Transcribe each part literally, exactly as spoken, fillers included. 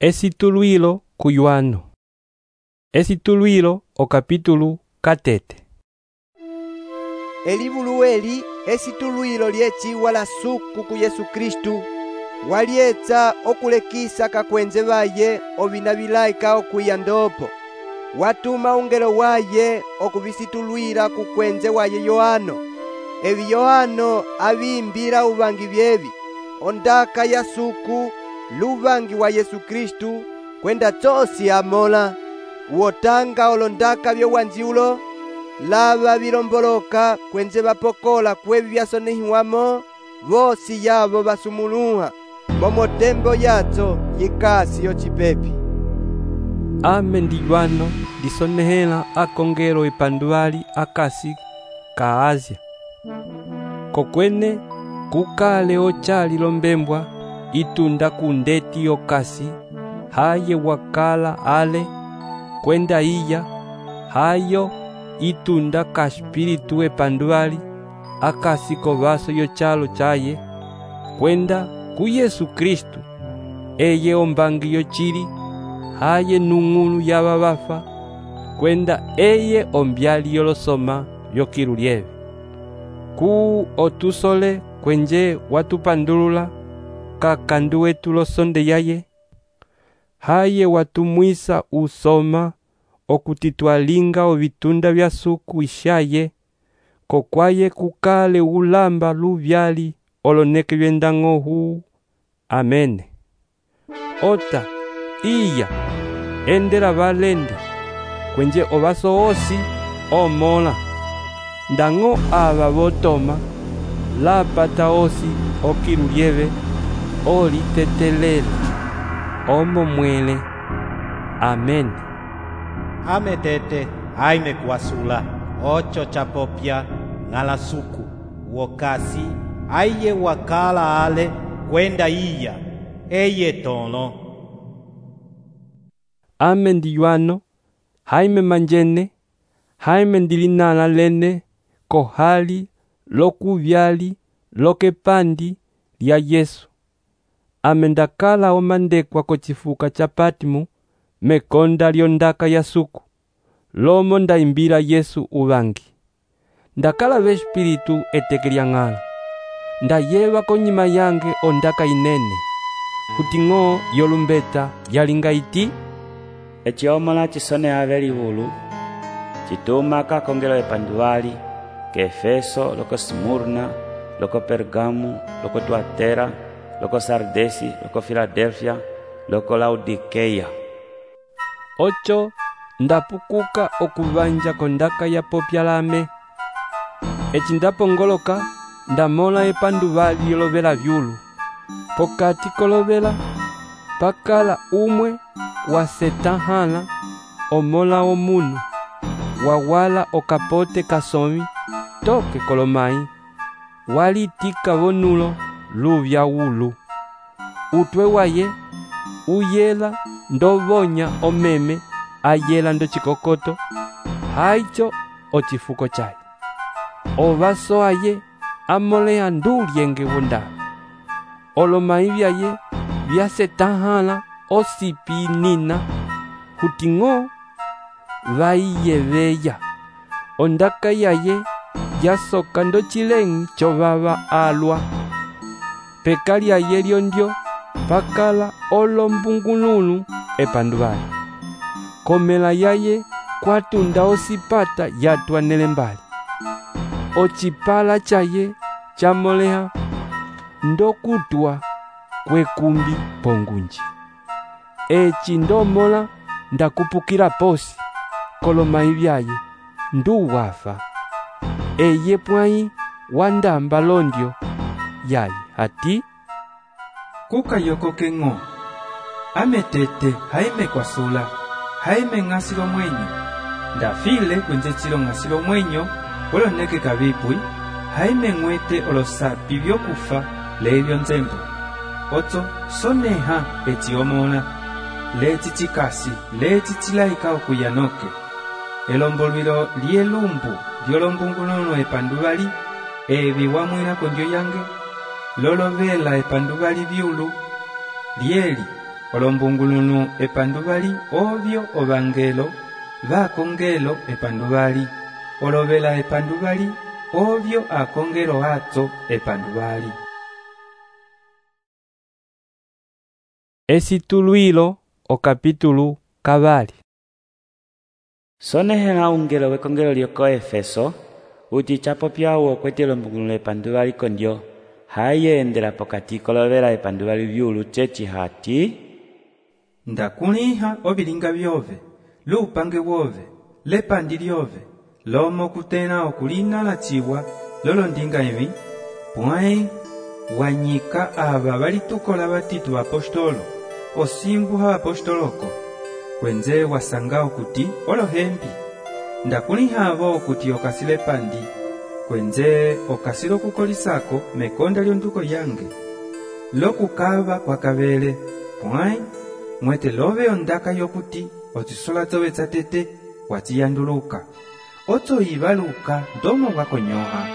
Esituluilo kuyuano. Esituluilo o capítulo catete. Elivulu eli esituluilo lyeciwa la suku ku Yesu Kristu walyetsa okulekisa kakwenze vaye ovina vilaika okwiya ndopo. Watuma ungelo waye okuvisitulwila kukwenze waye Yohano. Evi Yohano aviimbila uvangi vyevi ondaka ya suku luvangi wa Yesu Kristu kwenda tsosi amola wotanga olondaka vyowanziulo lava vilomboloka kwenze vapokola kwevi vyasonehiwamo vosi yavo vasumuluha momo tembo yatso yikasi yocipepi. Ame ndiyuano lisonehela akongelo epanduvali akasi ka Asia. Kokwene kukale ochali lombembwa itunda kundeti okasi haye wakala ale kwenda iya hayo itunda ka espiritu epanduvali akasi kovaso yochalo chaye kwenda ku Yesu Kristu eye ombangi yochili haye nung'ulu yava vafa kwenda eye ombyali yolosoma vyokilu lyeve ku otusole kwenje watupandulula kakandu wetu losonde yaye haye watumwisa usoma okutitwalinga ovitunda vya suku ishaye kokwaye kukale ulamba luvyali oloneke vyendang'o huu. Amene. Ota iya endela valende kwenje ovaso osi omola ndang'o ava votoma lapata osi okilu lyeve olitetelela omo mwele. Amen. Ame tete aime kuasula ocho chapopya ngala suku wokasi aiye wakala ale kwenda iya eye tono. Ame ndiyuano haime manjene haime ndilinala lene kohali lokuvyali lokepandi lya Yesu. Ame ndakala omandekwa kochifuka cha Patimu mekonda lyondaka ya suku lomo ndaimbila Yesu uvangi. Ndakala ve espiritu etekelya ng'ala ndayeva konyima yange ondaka inene kuting'o yolumbeta yalinga iti eciomola cisone ave livulu cituma kakongelo epanduvali ke Efeso loko Smurna loko Pergamu loko Tuatera loko Sardesi loko Filadelfia loko Laodikeia. Ocho ndapukuka okuvanja kondaka ya popya lame eci ndapongoloka ndamola epanduvali yolovela vyulu pokati kolovela pakala umwe wa setahala omola omunu wawala okapote kasomi toke kolomai walitika vonulo luvya ulu utwe waye uyela ndovonya omeme ayela ndo chikokoto haicho ochifuko chaye ovaso aye amolea ndulyenge wonda olomai vyaye vyasetahala osipinina huting'o vaiyeveya ondaka yaye yasoka ndo chileng'i chovava alwa peka lyaye lyondyo pakala olombungululu epanduvali komela yaye kwatunda osipata yatwanele mbali ocipala chaye chamoleha ndokutwa kwekumbi pongunji eci ndomola ndakupukila posi kolomai vyaye nduwafa eye pwai wandamba londyo yaye ati kukayoko keng'o ame tete haime kwasula haime ng'asilo mwenyo ndafile kwenze chilo ng'asilo mwenyo oloneke kavipui haime ng'wete olosapi vyokufa levyo nzembo oto soneha eciomola leci chikasi leci chilaika okuyanoke elombolwilo lyelumbu lyolombunguluno epanduvali evi wamwila kondyo yange lolovela epanduvali vyulu lyeli olombungulunu epanduvali ovyo ovangelo vakongelo epanduvali olovela epanduvali ovyo akongelo atso epanduvali. Esituluilo o capítulo kavali. Sonehela ungelo wekongelo lioko Efeso uti chapo pyawo okwete lombungulunu epanduvali kondyo hayendela pokati kolovela epanduvali vyulu chechi hati ndakuliha ovilinga vyove lupange wove lepandi lyove lomo kutena okulina ciwa lolondinga evi pwai wanyika ava valitukola vatitu vapostolo osimbu ha apostoloko kwenze wasanga okuti olohembi ndakuliha avo okuti okasile pandi kwenze okasile okukolisako mekonda lyonduko yange lokukava kwakavele pwai mwete love ondaka yokuti otisola zove tsatete watiyanduluka oto ivaluka ndomo wakonyoha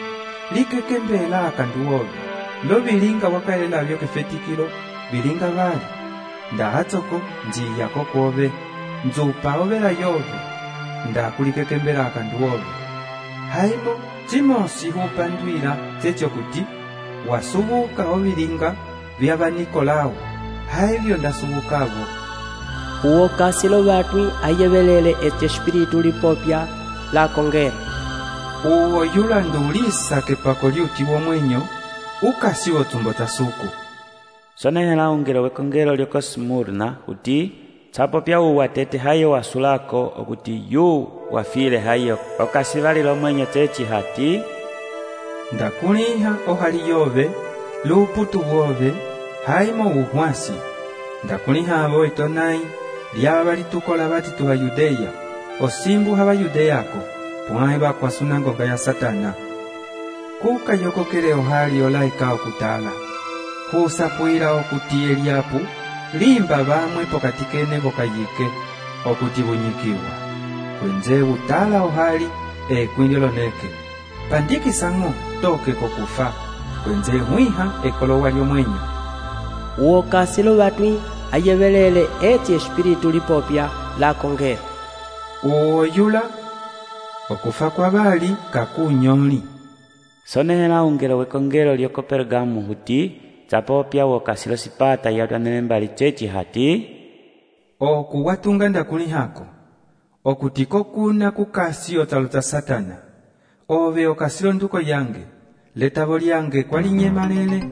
likekembela akandu wove lo vilinga wakalela vyo kefetikilo vilinga vali ndahatsoko njiyako kwove nzupa ovela yove ndakulikekembela akandu wove haimo cimosi hupandwila tsetyokuti wasubuka ovilinga vyava Nikolao haivyo ndasubukavo uwo kasilo vatwi ayevelele ece espiritu lipopya la kongera uwo yula ndulisa kepako lyuti womwenyo ukasi wotumbo tasuku. Sonehela ungelo wekongelo lioko Smurna uti chapo pyawu watete hayo wasulako okuti yu wafile hayo okasivali lomwenyo chechi hati ndakuliha ohali yove luputu wove haimo uhwasi ndakuliha avo etonai lyava valitukola vatitu va Yudeya osimbu hava Yudeyako pwai vakwa sunangoga ya Satana kuka yokokele ohali olaika okutala husapwila okuti Eliapu limba vamwe pokati kene vokayike okuti vunyikiwa kwenze utala ohali ekwindiloneke pandikisango toke kokufa kwenze hwiha ekolowa lyomwenyo uwo kasilo vatwi ayevelele eci espiritu lipopya la kongera uwo yula okufa kwa vali kakunyoli. Sonehela ungelo wekongelo lioko Pergamu huti chapo pyawo kasilo sipata yatwanele mbali chechi hati oku watunga ndakulihako okutiko kuna kukasi otaluta Satana ove okasilo nduko yange letavo lyange kwalinyemalele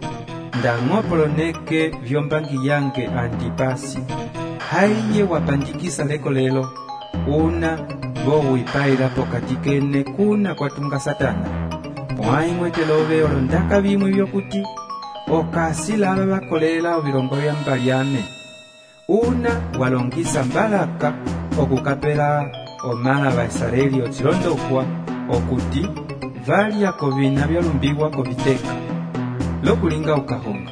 ndang'opoloneke vyombangi yange Antipasi haiye wapandikisa leko lelo una vo wipaila pokati kene kuna kwatunga Satana pwai mwete love olondaka vimwe vyokuti okasi lava vakolela ovilongo vya mbalyane una walongisa mbalaka okukapela omala va Israeli otsilondokwa okuti valya kovina vyalumbiwa koviteka lokulinga ukahonga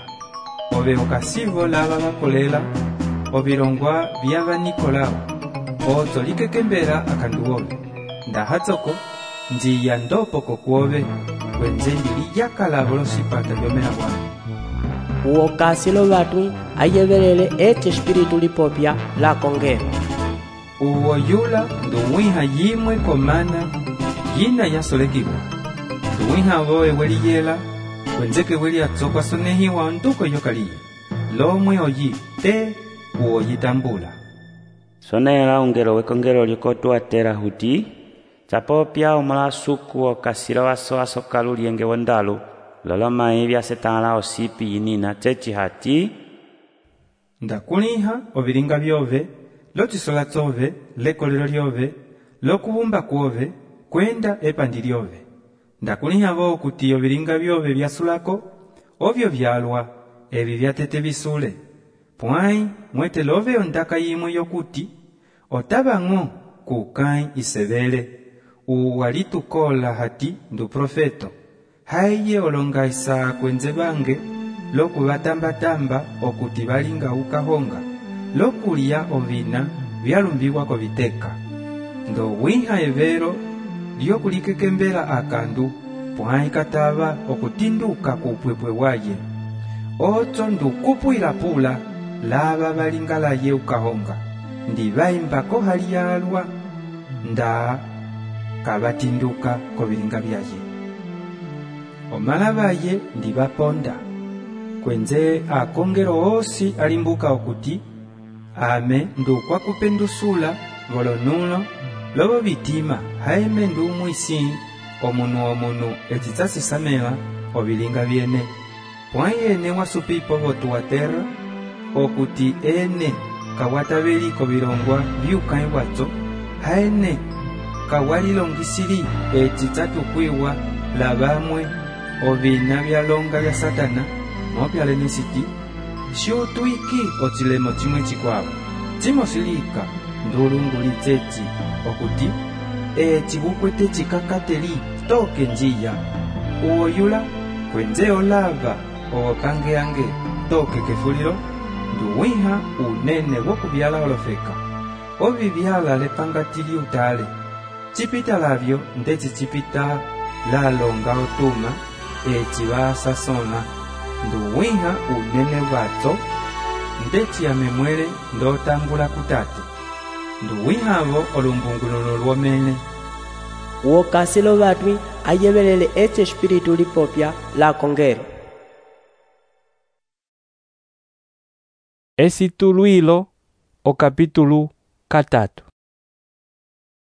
ove okasivo lava vakolela ovilongwa vyava Nikolao oto likekembela akandu wove ndahatsoko njiya ndopoko kwove kwenze ndiliyakala volosipata vyomela bwana uwo kasilo vatwi ayevelele eci espiritu lipopya la kongera uwo yula nduwiha yimwe komana yina yasolekiwa nduwiha voe weliyela kwenzeke weli atsokwa sonehiwa nduko yokaliye lomwe oyi te uwo yitambula. Sonehela ungelo wekongelo lioko Tuatera huti chapo pya omala suku okasilo waso asokalu lienge wondalu loloma evya setala osipi yinina chechi hati ndakuliha ovilinga vyove lotisola tsove lekolelo lyove lokubumba kwove kwenda epandi lyove ndakuliha vo okuti ovilinga vyove vyasulako ovyo vyalwa evi vyatete visule pwai mwete love ondaka yimwe yokuti otavang'o kukai isevele uwalitukola hati ndu profeto haiye olonga isaa kwenze bange lokuvatambatamba okuti valinga ukahonga lokulya ovina vyalumbiwa koviteka ndo wiha evero lyokulikekembela akandu pwai katava okutinduka kupwepwe waye oto ndukupwila pula lava valingalaye ukahonga ndi vaimbako hali yalwa nda kavatinduka kovilinga vyaye. Omala vaye ndi vaponda kwenze akongelo osi alimbuka okuti ame ndukwa kupendusula volonulo lovo vitima haime ndu mwisi omunu omunu ecitsasisamela ovilinga vyene pwayene wasupipo votu wa terra okuti ene kawataveliko vilongwa vyukai watso haene kawalilongisili ecitsatukw'iwa la vamwe ovina vyalonga vya Satana mopyalenisiti xiutwiki ocilemo cimwe cikwavo cimosilika ndulunguli ceci okuti eci vukwete cikakateli toke njiya uoyula kwenze olava owokangeange toke kefulilo nduwiha unene wokuvyala olofeka ovivyala lepangati liutale cipita lavyo ndeci cipita lalonga otuma eci vasasona nduwiha unene vatso ndeci amemwele ndotambula kutate nduwihavo olumbungululo lwomene uokasilo vatwi ayevelele ece espiritu lipopya la kongelo. Esituluilo o capítulo katatu.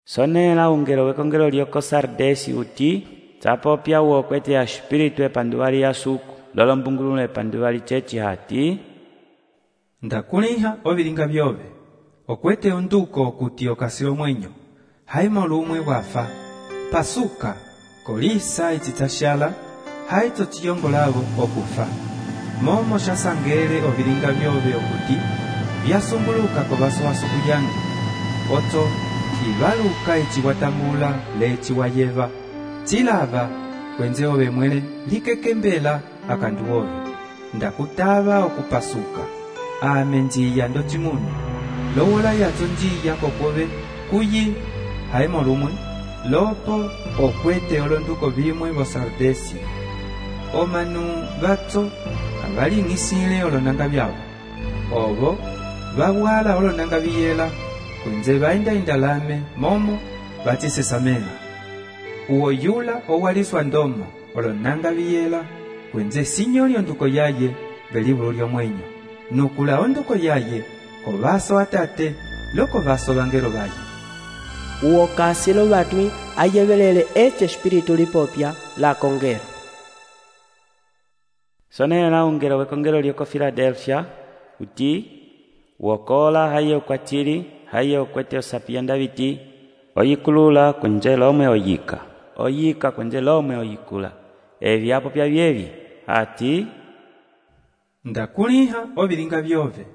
Sonela ungelo wekongelo lioko Sardesi uti tsapopya uokwete ya espiritu epanduvali ya suku lolo mbungululo epanduvali ceci hati ndakuliha ovilinga vyove okwete onduko okuti okasilo mwenyo haimo lumwe wafa pasuka kolisa ecitsashala haitso ciyongolavo okufa momo xasangele ovilinga vyove okuti vyasumbuluka kovaso wasuku yange otso kivaluka eciwatambula leci wayeva cilava kwenze ove mwele likekembela akandu ove ndakutava okupasuka ame njiya ndocimunu lowola yadzo njiya kokwove kuyi haimo lumwe lopo okwete olonduko vimwe vo Sardesi omanu vatso kavaling'isile olonanga vyavo ovo vawala olonanga viyela kwenze vaenda indalame momo vacisesamela uoyula owaliswa ndomo olonanga viyela kwenze sinyoli onduko yaye velivulu lyomwenyo nukula onduko yaye kovaso atate loko vaso vangelo vaye uokasilo vatwi ayevelele ece espiritu lipopya la kongelo. Sonela ungelo wekongelo lioko Filadelfia uti uokola haye ukwatili haye ukwete osapianda viti oyikulula kwenze lomwe oyika oyika kwenze lomwe oyikula evyapo pya vyevi ati ndakuliha ovilinga vyove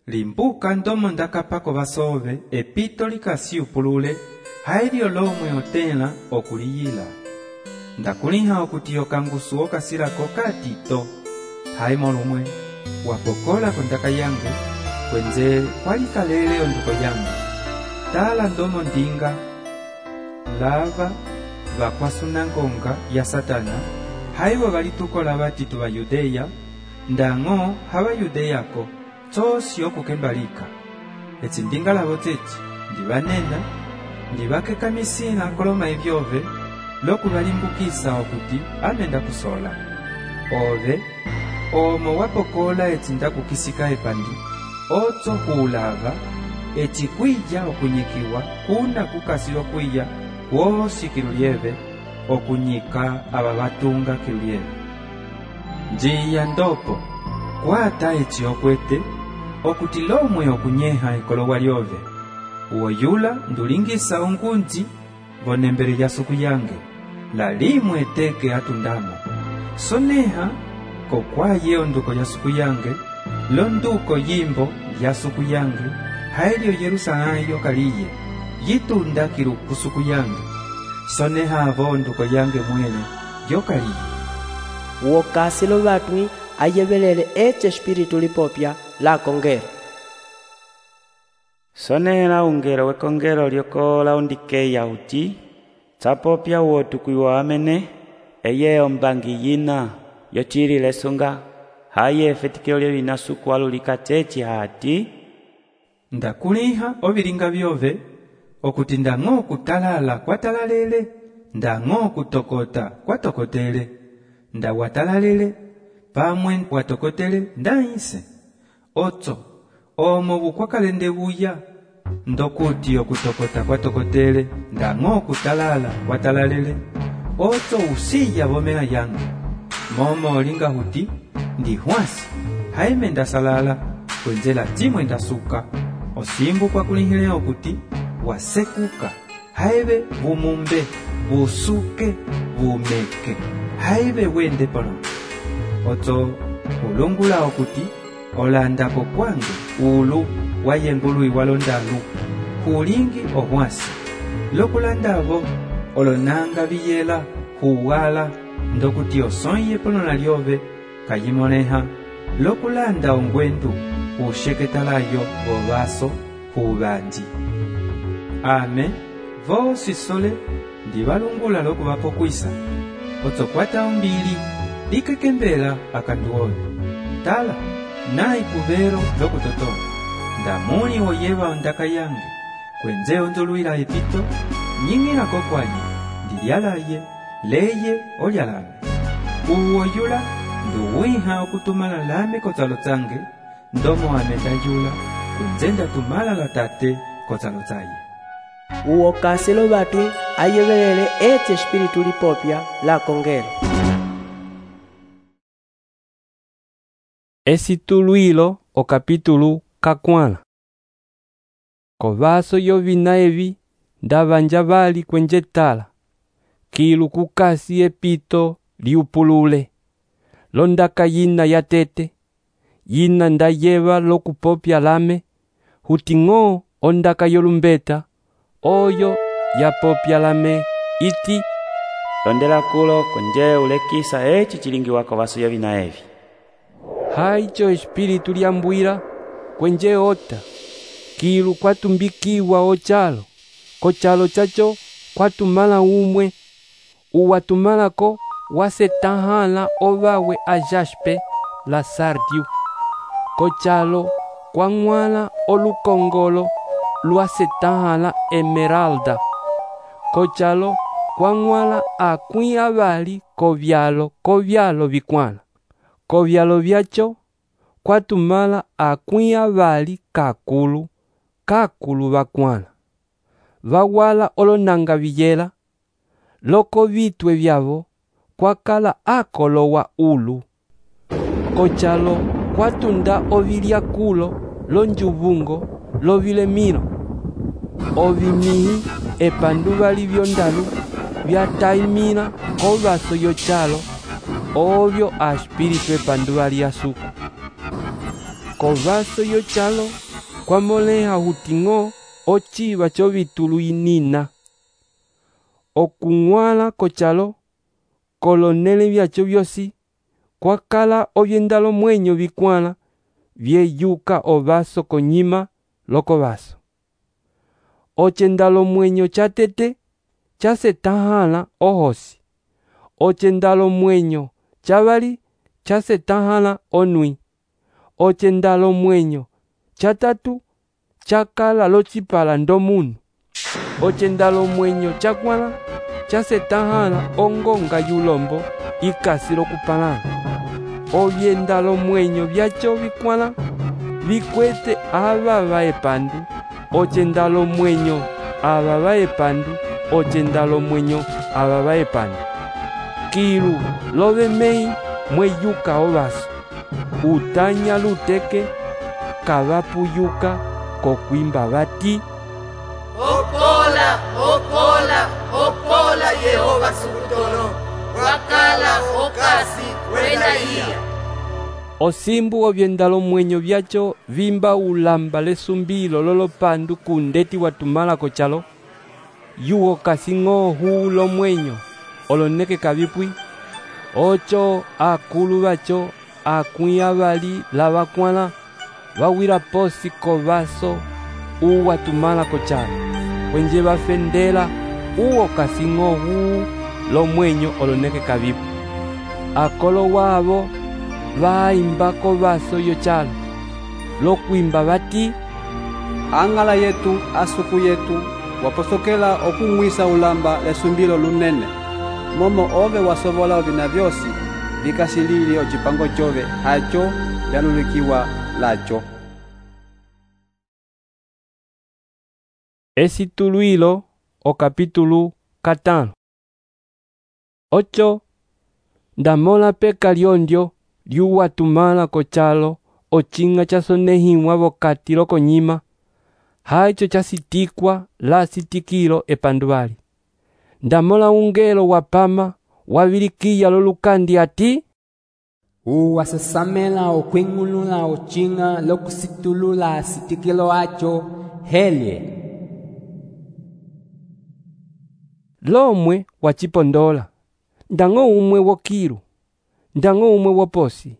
limbuka ndomo ndakapako vasove epito likasi upulule hailyo lomwe otela okuliyila ndakuliha okuti okangusu okasilako katito haimo lumwe wapokola kondaka yange kwenze kwalikalele onduko yange tala ndomo ndinga lava vakwasunangonga ya Satana haivo valitukola vatitu va Yudeya ndang'o hava Yudeyako tsosi okukembalika eci ndinga lavo ceci ndivanena ndivakekamisila koloma evyove lokuvalimbukisa okuti ame ndakusola ove omo wapokola eci ndakukisika epandi otso huulava eci kwija okunyikiwa kuna kukasilo kwiya kwosi kilulyeve okunyika ava vatunga kilulyeve njiya ndopo kwata eci okwete okuti lomwe okunyeha ikolowa lyove uoyula ndulingisa ongunji vonembele lya suku yange la limwe teke atundamo soneha kokwaye onduko ya suku yange londuko yimbo ya suku yange hailyo Yerusalemu kaliye yitunda kiluku suku yange soneha avo onduko yange mwene yokaliye uokasilo vatwi ayevelele ece espiritu lipopya la kongelo. Sonela ungelo wekongelo lioko Laodikeya uti tsapopya uotukwiwa amene eye ombangi yina yochilile sunga haye efetikilo lye binasuku alulikateci hati ndakuliha ovilinga byove okuti ndang'o kutalala kwatalalele ndang'o kutokota kwatokotele ndawatalalele pamwe watokotele ndaise otso omo bukwakalende buya ndokuti okutokota kwatokotele ndang'o kutalala kwatalalele otso usiya bomea yangu momo olinga huti ndi hwasi haime ndasalala kwenzela timwe ndasuka osimbu kwa kulihile okuti wasekuka haibe bumumbe busuke bumeke haibe wende pano otso ulungula okuti olandako kwange ulu wayengulu iwalondalu hulingi ohwasi lokulandavo olonanga biyela huwala ndokuti osonye pono na lyove kayimoneha lokulanda ongwendu usheketalayo obaso hubanji ame vosi sole ndibalungula lokubapo kwisa otsokwata ombili likekembela akanduove tala nayi kubero lokutotona ndamuni oyeba ondaka yange kwenze ondoluila epito nying'ilako kwaye ndilyalaye leye olyalame uwoyula nduwiha okutumala lame kotsalo tsange ndomo ame ndayula kwenze ndatumala la tate kotsalo tsaye uwo kasilo batwi ayebelele eti espiritu lipopya la kongelo Esituluilo o capítulo kakwala. Kovaso yovina evi ndavanja vali kwenjetala kilu kukasi epito liupulule londaka yina ya tete yina ndayeva lokupopya lame huting'o ondaka yolumbeta oyo yapopya lame iti londela kulo kwenje ulekisa eci chilingiwa kovaso yovina evi haicho espiritu liambwira kwenje ota kilu kwatumbikiwa ochalo kochalo chacho kwatumala umwe uwatumalako wasetahala ovawe a jaspe la sardiu kochalo kwang'wala olukongolo lwasetahala emeralda kochalo kwang'wala akwi avali kovyalo kovyalo vikwala kovyalo vyacho kwatumala akwi avali kakulu kakulu vakwala vawala olonanga viyela loko vitwe vyavo kwakala akolowa ulu kochalo kwatunda ovilya kulo lonjuvungo lovilemilo ovimihi epanduva livyondalu vyataimila kovaso yochalo ovyo a espiritu epanduva lyasuku kovaso yochalo kwamoleha huting'o ochiva chovitulu inina okung'wala kochalo kolonele vyacho vyosi kwakala ovyendalo mwenyo vikwala vyeyuka ovaso konyima loko vaso ochendalo mwenyo chatete chasetahala ohosi ochendalo mwenyo chavali chasetahala onwi ochendalo mwenyo chatatu chakala lochipala ndomunu ochendalo mwenyo chakwala chasetahala ongonga yulombo ikasi lokupalana ovyendalo mwenyo vyacho vikwala vikwete avava epandu ochendalo mwenyo avava epandu ochendalo mwenyo avava epandu kilu lovemei mweyuka ovaso utanya luteke kavapuyuka kokwimba vati Okola, okola, okola Yehova Sukutolo, wakala okasi kwenda iya. Osimbu ovyendalo mwenyo vyacho vimba ulamba lesumbilo lolopandu kundeti watumala kochalo yuo kasing'o hulo mwenyo oloneke kavipwi ocho akulu vacho akwi avali lavakwala vawira posi kovaso uwatumala kochalo kwenje vafendela uo kasing'o huu lo mwenyo oloneke kavipwi akolo wavo vaimbako vaso yochalo lokwimba vati, ang'ala yetu asuku yetu waposokela okung'wisa ulamba lesumbilo lunene, momo ove wasovola ovina vyosi vikasilile ocipango cove aco vyalulikiwa laco. Esituluilo o capítulo katano. Ocho, ndamola peka lyondyo lyuwatumala kochalo ochinga chasonehiwa vokati lokonyima, haicho chasitikwa la sitikilo epanduvali. Ndamola ungelo wapama wavilikiya lolukandi ati, uwasesamela okwingulula ochinga lokusitulula sitikilo acho helye. Lomwe wachipondola, ndango umwe wokiru, ndango umwe woposi,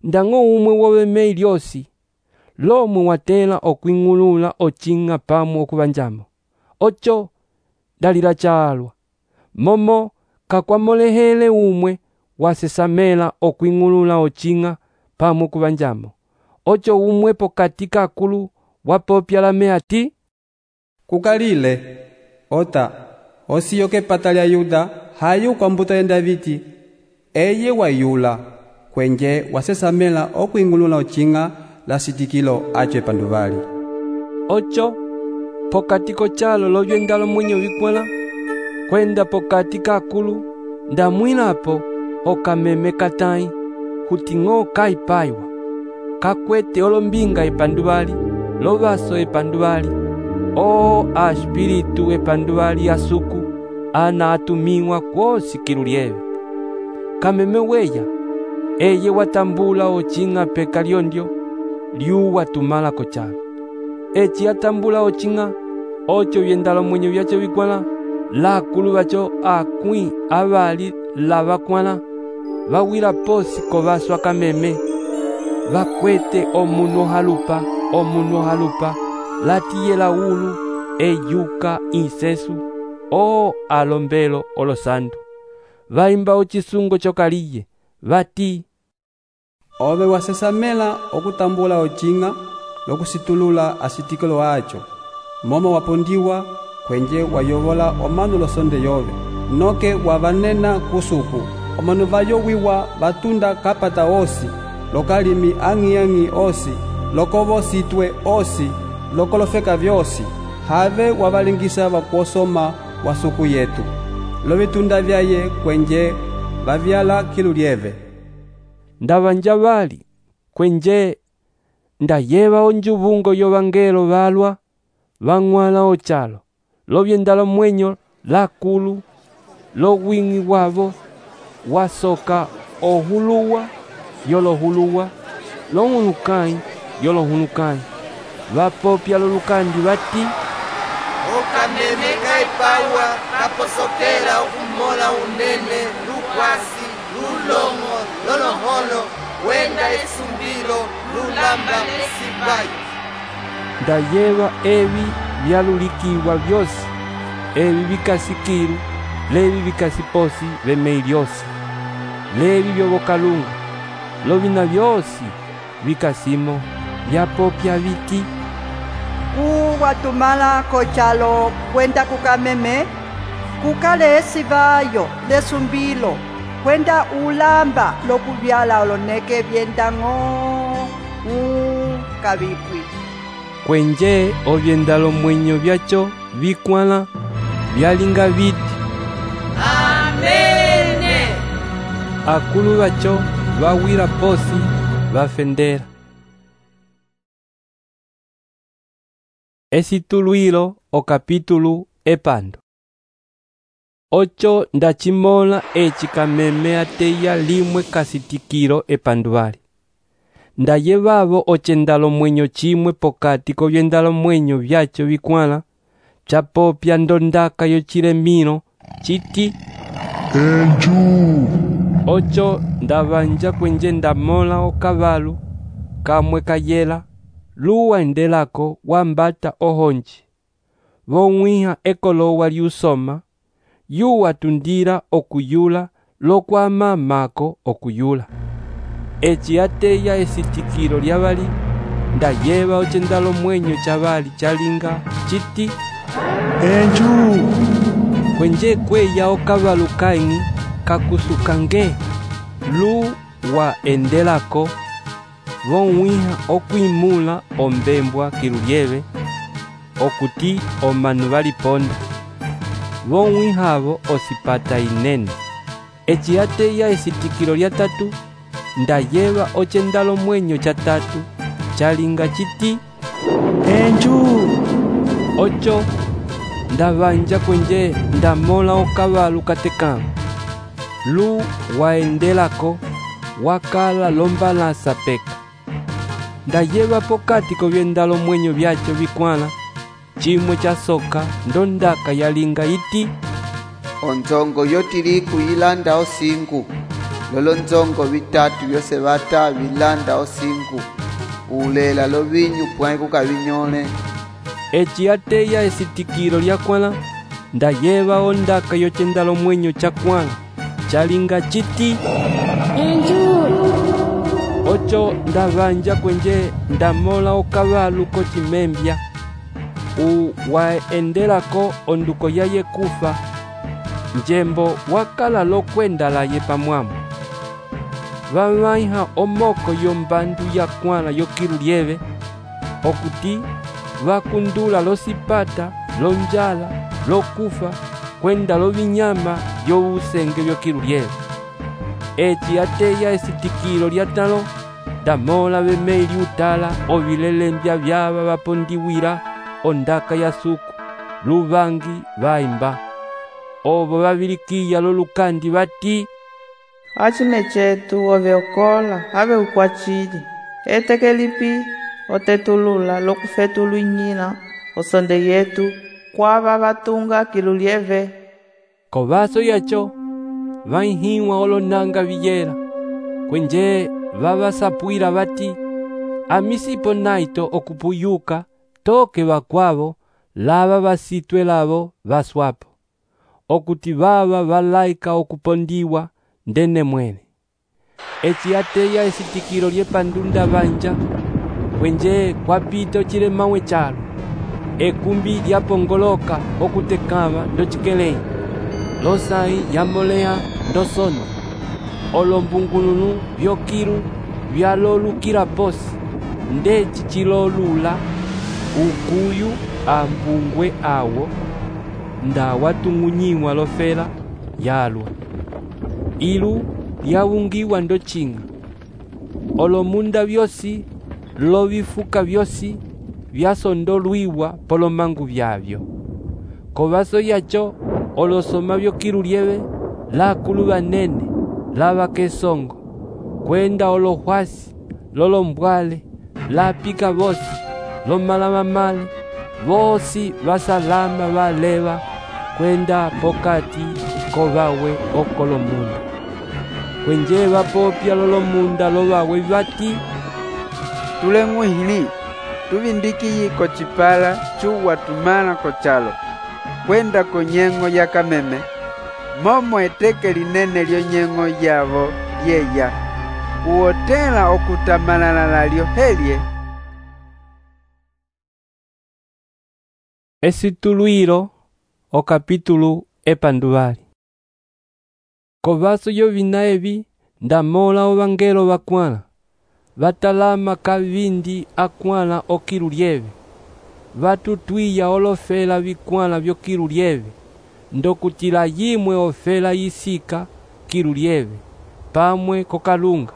ndango umwe wovemei lyosi, lomwe watela okwingulula ochinga pamwe okubanjamo. Ocho, dalila chalwa, momo kakwamolehele umwe wasesamela okwingulula ochinga pamwe okubanjamo. Ocho umwe pokati kakulu wapopya lame ati, kukalile, ota, osiyo kepata lya Yuda hayu kwa mbuto ya Davidi, eye wayula, kwenje wasesamela okwingulula ochinga la sitikilo acho epanduvali. Ocho, pokati kochalo lovyendalo mwenye vikwala, kwenda pokati kakulu, ndamwilapo okameme katai, huting'o kaipaiwa, kakwete olombinga epanduvali, lovaso epanduvali, o a espiritu epanduvali asuku, ana atumiwa kwosi kilulieve. Kameme weya, eye watambula ochinga peka lyondyo, liu watumala kochalo. Echi atambula ochinga, ocho vyendalo mwenye vyacho vikwala, la kulu vacho akwi avali la vakwala, vawila posi kovaswa kameme, vakwete omunu halupa, omunu halupa, latiyela ulu, eyuka insesu, o alombelo olosandu. Vaimba ochisungo chokaliye, vati, ove wasesamela okutambula ochinga lokusitulula asitikilo acho, momo wapondiwa kwenje wayovola omanu losonde yove, noke wavanena kusuku, omanu vayowiwa vatunda kapata osi, lokalimi ang'i-ang'i osi, lokovositwe osi, lokolofeka vyosi, have wavalingisa vakuosoma wasuku yetu, lovitunda vyaye kwenje vavyala kilulieve. Ndavanja vali, kwenje ndayeva onjuvungo yovangelo valwa, vang'wala ochalo, lovyendalo mwenyo lakulu, lowing'i wavo, wasoka ohuluwa, yolohuluwa, lohulukai, yolohulukai, vapopya lolukandi vati, okameme kaipawa kaposokela okumola unene lukwasi lulongo loloholo wenda esumbilo lulamba lesipayo. Ndayeva evi vyalulikiwa vyosi, evi vikasikiru, levi vikasiposi vemei lyosi, levi vyovokalungu, lovina vyosi vikasimo vyapopya viti, uwatumala kochalo kwenda kukameme, kukale esivayo lesumbilo, kwenda ulamba lokuvyala oloneke vyendang'o ukavipwi. Kwenje ovyendalo mwenyo vyacho vikwala, vyalinga viti, amene. Akulu vacho vawira posi vafendera. Esituluilo o capítulo epando. Ocho ndachimola echi kameme ateya limwe kasitikiro epanduvali. Ndayevavo ochendalo mwenyo chimwe pokati kovyendalo mwenyo vyacho vikwala, chapopya ndondaka yochiremino, chiti, Enju. Ocho ndavanja kwenje ndamola okavalu, kamwe kayela, luwa endelako wambata ohonji, vong'wiha ekolowa liusoma, yuwa tundira okuyula lokwama mako okuyula. eci ateya esitikilo lyavali ndayeva ocendalo mwenyo chavali chalinga chiti enju kwenje kweya okavalu kaingi kakusukange lu wa endelako vonwiha okwimula ombembwa kilulyeve okuti omanu valiponda vonwihavo osipata inene eci ateya esitikilo lya tatu ndayeva ocendalo mwenyo cha tatu chalinga chiti enju ocho ndavanja kwenje ndamola okavalu katekamo lu waendelako wakala lombalasa peka ndayeva pokati kovyendalo mwenyo vyacho vikwala chimwe cha soka ndondaka yalinga iti onzongo yotiriku yilanda osingu lolo nzongo vitatu vyose vata vilanda osingu ulela lovinyu pwai kukavinyole eci ateya esitikilo lyakwala ndayeva ondaka yocendalo mwenyo chakwala chalinga chiti enju ocho ndavanja kwenje ndamola okavalu kocimembya u waendelako onduko yaye kufa njembo wakala lokwenda laye pamwamo vamaiha omoko yombandu yakwala yokilulyeve okuti vakundula losipata lonjala lokufa kwenda lovinyama vyowusenge vyokilulyeve eci ateya esitikilo lyatalo ndamola vemeli utala ovilelembya vyava vapondiwila ondaka ya suku luvangi vaimba ovo vavilikiya lolukandi vati acime cetu oveokola ave ukwacili etekelipi otetulula lokufetuluinyila osonde yetu kwava vatunga kilulyeve kovaso yacho vaihiwa olonanga viyela kwenje vavasapwila vati amisipo naito okupuyuka toke vakwavo lava vasitwe lavo vaswapo okuti vava valaika okupondiwa ndene mwene eci ateya esitikilo lyepandunda vanja kwenje kwapita ocilemawe chalo ekumbi lyapongoloka okutekava ndocikeleyi losai yamoleha ndosona olombungulunu vyokilu vyalolukila posi ndeci cilolula ukuyu ambungwe awo ndawatung'unyiwa lofela yalwa ilu lyawungiwa ndocing'a olomunda vyosi lovifuka vyosi vyasondolwiwa polomangu vyavyo kovaso yacho olosoma vyokilulyeve lakulu vanene lava kesongo kwenda olohwasi lolombwale lapika vosi lomalamamale vosi vasalama valeva kwenda pokati kovawe okolomunda kwenje vapopya lolomunda lovawe vati tuleng'wihili tuvindikiyi kocipala cuwa tumala kochalo kwenda konyeng'o ya kameme momo eteke linene lyonyeng'o yavo lyeya uotela okutamalala lyohelye esitulwilo okapitulu epanduvali kovaso yovina evi ndamola ovangelo vakwala vatalama kavindi akwala okilulyeve vatutwiya olofela vikwala vyokilulyeve ndokutila yimwe ofela yisika kilulyeve pamwe kokalunga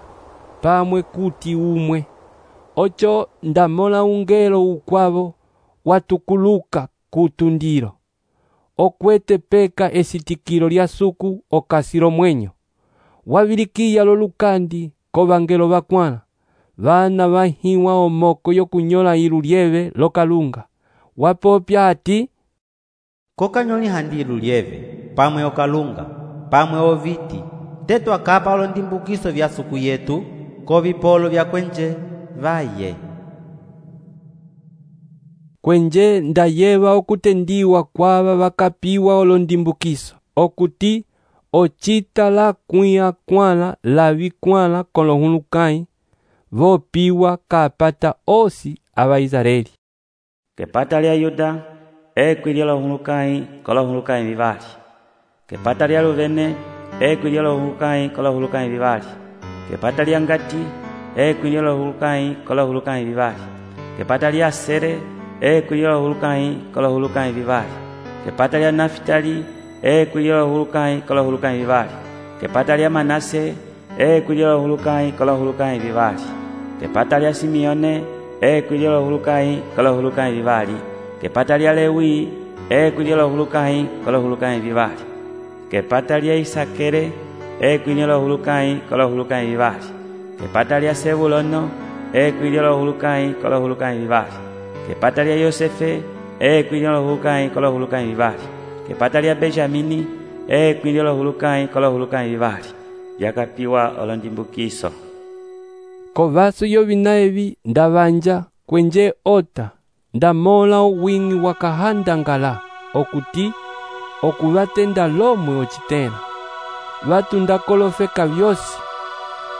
pamwe kuti umwe ocho ndamola ungelo ukwavo watukuluka kutundilo okwete peka esitikilo lya suku okasilo mwenyo wavilikiya lolukandi kovangelo vakwala vana vahiwa omoko yokunyola ilulyeve lokalunga wapopya ati kokanyoli handi ilulyeve pamwe okalunga pamwe oviti tetu akapa olondimbukiso vya suku yetu kovipolo vya kwenje vaye kwenje ndayeva okutendiwa kwava vakapiwa olondimbukiso okuti ocita la kuya kwala la vikwala kolohulukai vopiwa kapata osi ava Israeli. Kepata lya Yuda ekwilia lohulukai kolohulukai vivali. Kepata lya Ruvene ekwilia lohulukai kolohulukai vivali. Kepata lya Ngati ekwilia lohulukai kolohulukai vivali. Kepata lya Asere ekwilia lohulukai kolohulukai vivali. Kepata lya Naftali ekwilia lohulukai kolohulukai vivali. Kepata lya Manase ekwilia lohulukai kolohulukai vivali. Kepata lya Simeone ekwilia lohulukai kolohulukai vivali. Kepata lya Lewi ekwilia lohulukai kolohulukai vivali. Kepata lya Isakere ekwilia lohulukai kolohulukai vivali. Kepata lya Sebulono ekwilia lohulukai kolohulukai vivali. Kepata lya Yosefe ekwilia lohulukai kolohulukai vivali. Kepata lya Benjamini ekwilia lohulukai kolohulukai vivali. Yakapiwa olondimbukiso. Kovaso yovina evi ndavanja kwenje ota ndamola owingi wakahandangala okuti okuvatenda lomwe ocitela vatu ndakolofeka vyosi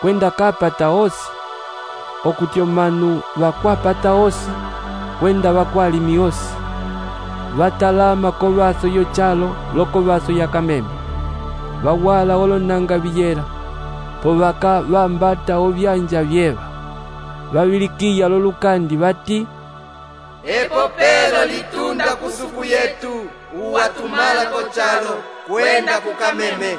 kwenda kapata osi okuti omanu vakwapata osi kwenda vakwalimi osi vatalama kovaso yochalo lokovaso yakameme vawala olonanga viyela povaka vambata ovyanja vyeva vavilikiya lolukandi vati epopelo litunda kusuku yetu uwatumala kochalo kwenda kukameme.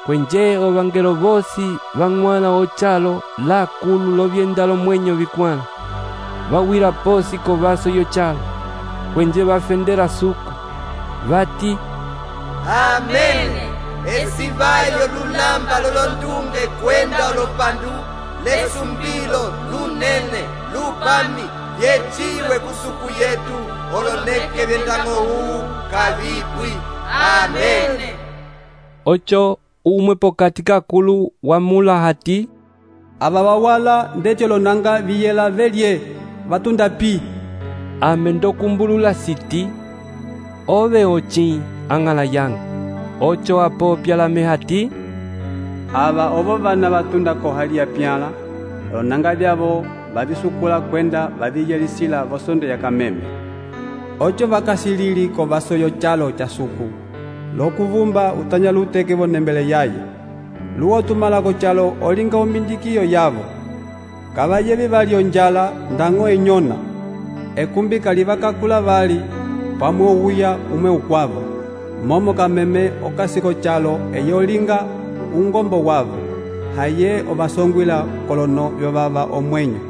Kwenje ovangelo vosi vang'wana ochalo la kulu lovyenda lomwenyo vikwala vawira posi kovaso yochalo kwenje vafendera suku vati amene. Esivayo lulamba lolondunge kwenda olopandu lesumbilo lunene lupami vyechiwe kusuku yetu oloneke vyendango huu kavipwi. Amene. Ocho umwe pokati kakulu wamula hati ava vawala ndecho lonanga viyela velye vatunda pi. Ame ndokumbulula siti ove ochi angala yangu. Ocho apopya la mehati ava ovo vana vatunda kohalia pyala lonanga vyavo vavisukula kwenda vaviyelisila vosondo ya kameme. Ocho vakasilili kovaso yochalo cha suku lokuvumba utanya luteke vonembele yaye luwotumala kochalo olinga omindikiyo yavo kavayevi vali onjala ndango enyona ekumbika livakakula vali pamwe uwuya umwe ukwavo momo kameme okasiko chalo eyolinga ungombo wavo haye ovasongwila kolono vyovava omwenyo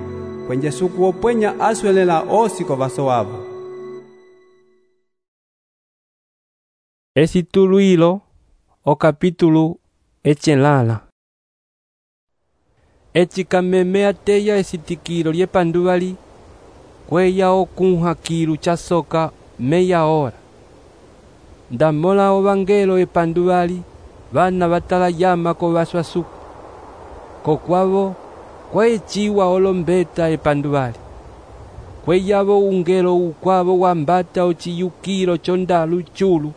kwenje suku opwenya aswelela osi kovaso wavo. Esituluilo o capítulo echelala. Echikameme ateya esitikilo lyepanduvali kweya okunha kilu cha soka meya hora. Ndamola ovangelo epanduvali vana vatala yama kovaswa suku kokwavo kwechiwa olombeta epanduvali kweyavo ungelo ukwavo wambata ochiyukilo chondalu chulu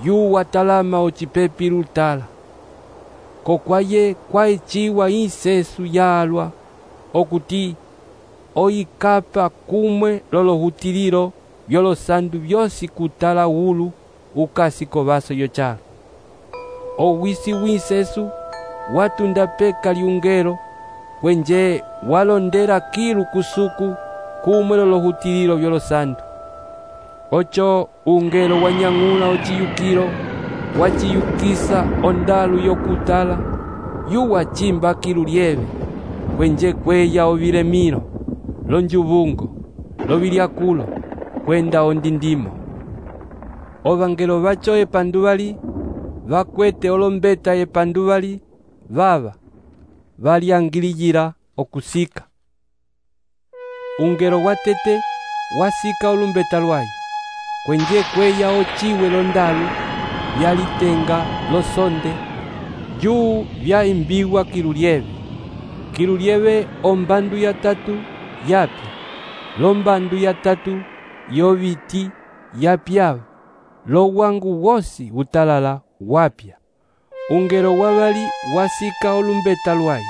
yuwa talama ochipepi lutala kokwaye kwaechiwa insesu yalwa okuti oyikapa kumwe lolohutililo vyolosandu vyosi kutala ulu ukasi kovaso yochalo owisi winsesu watunda peka liungelo kwenje walondera kilu kusuku kumwe lolohutililo vyolosandu. Ocho ungelo wanyang'ula ochiyukilo wachiyukisa ondalu yokutala yuwa chimba kilu lyeve kwenje kweya ovilemilo lonjuvungo lovilyakulo kwenda ondindimo. Ovangelo vacho epanduvali vakwete olombeta epanduvali vava valyangiliyila okusika. Ungelo watete wasika olumbeta lwayo kwenje kweya ochiwe londalu vyalitenga losonde juu vyaimbiwa kilulieve kilulieve ombandu ya tatu yapya lombandu ya tatu yoviti yapyava lowangu wosi utalala wapya ungelo wavali wasika olumbeta lwaye,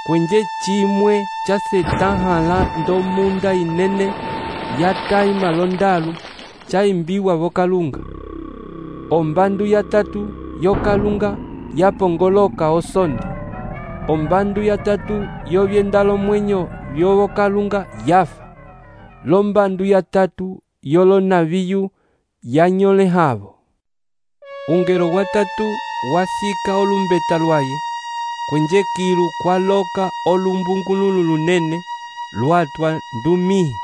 kwenje chimwe chasetahala ndomunda inene yataima londalu chaimbiwa vokalunga. Ombandu ya tatu yokalunga yapongoloka osondi. Ombandu ya tatu yovyendalo mwenyo vyovokalunga yafa. Lombandu ya tatu yolonaviyu yanyolehavo. Ungelo watatu wasika olumbeta lwaye, kwenje kilu kwaloka olumbungululu lunene lwatwa ndumihi.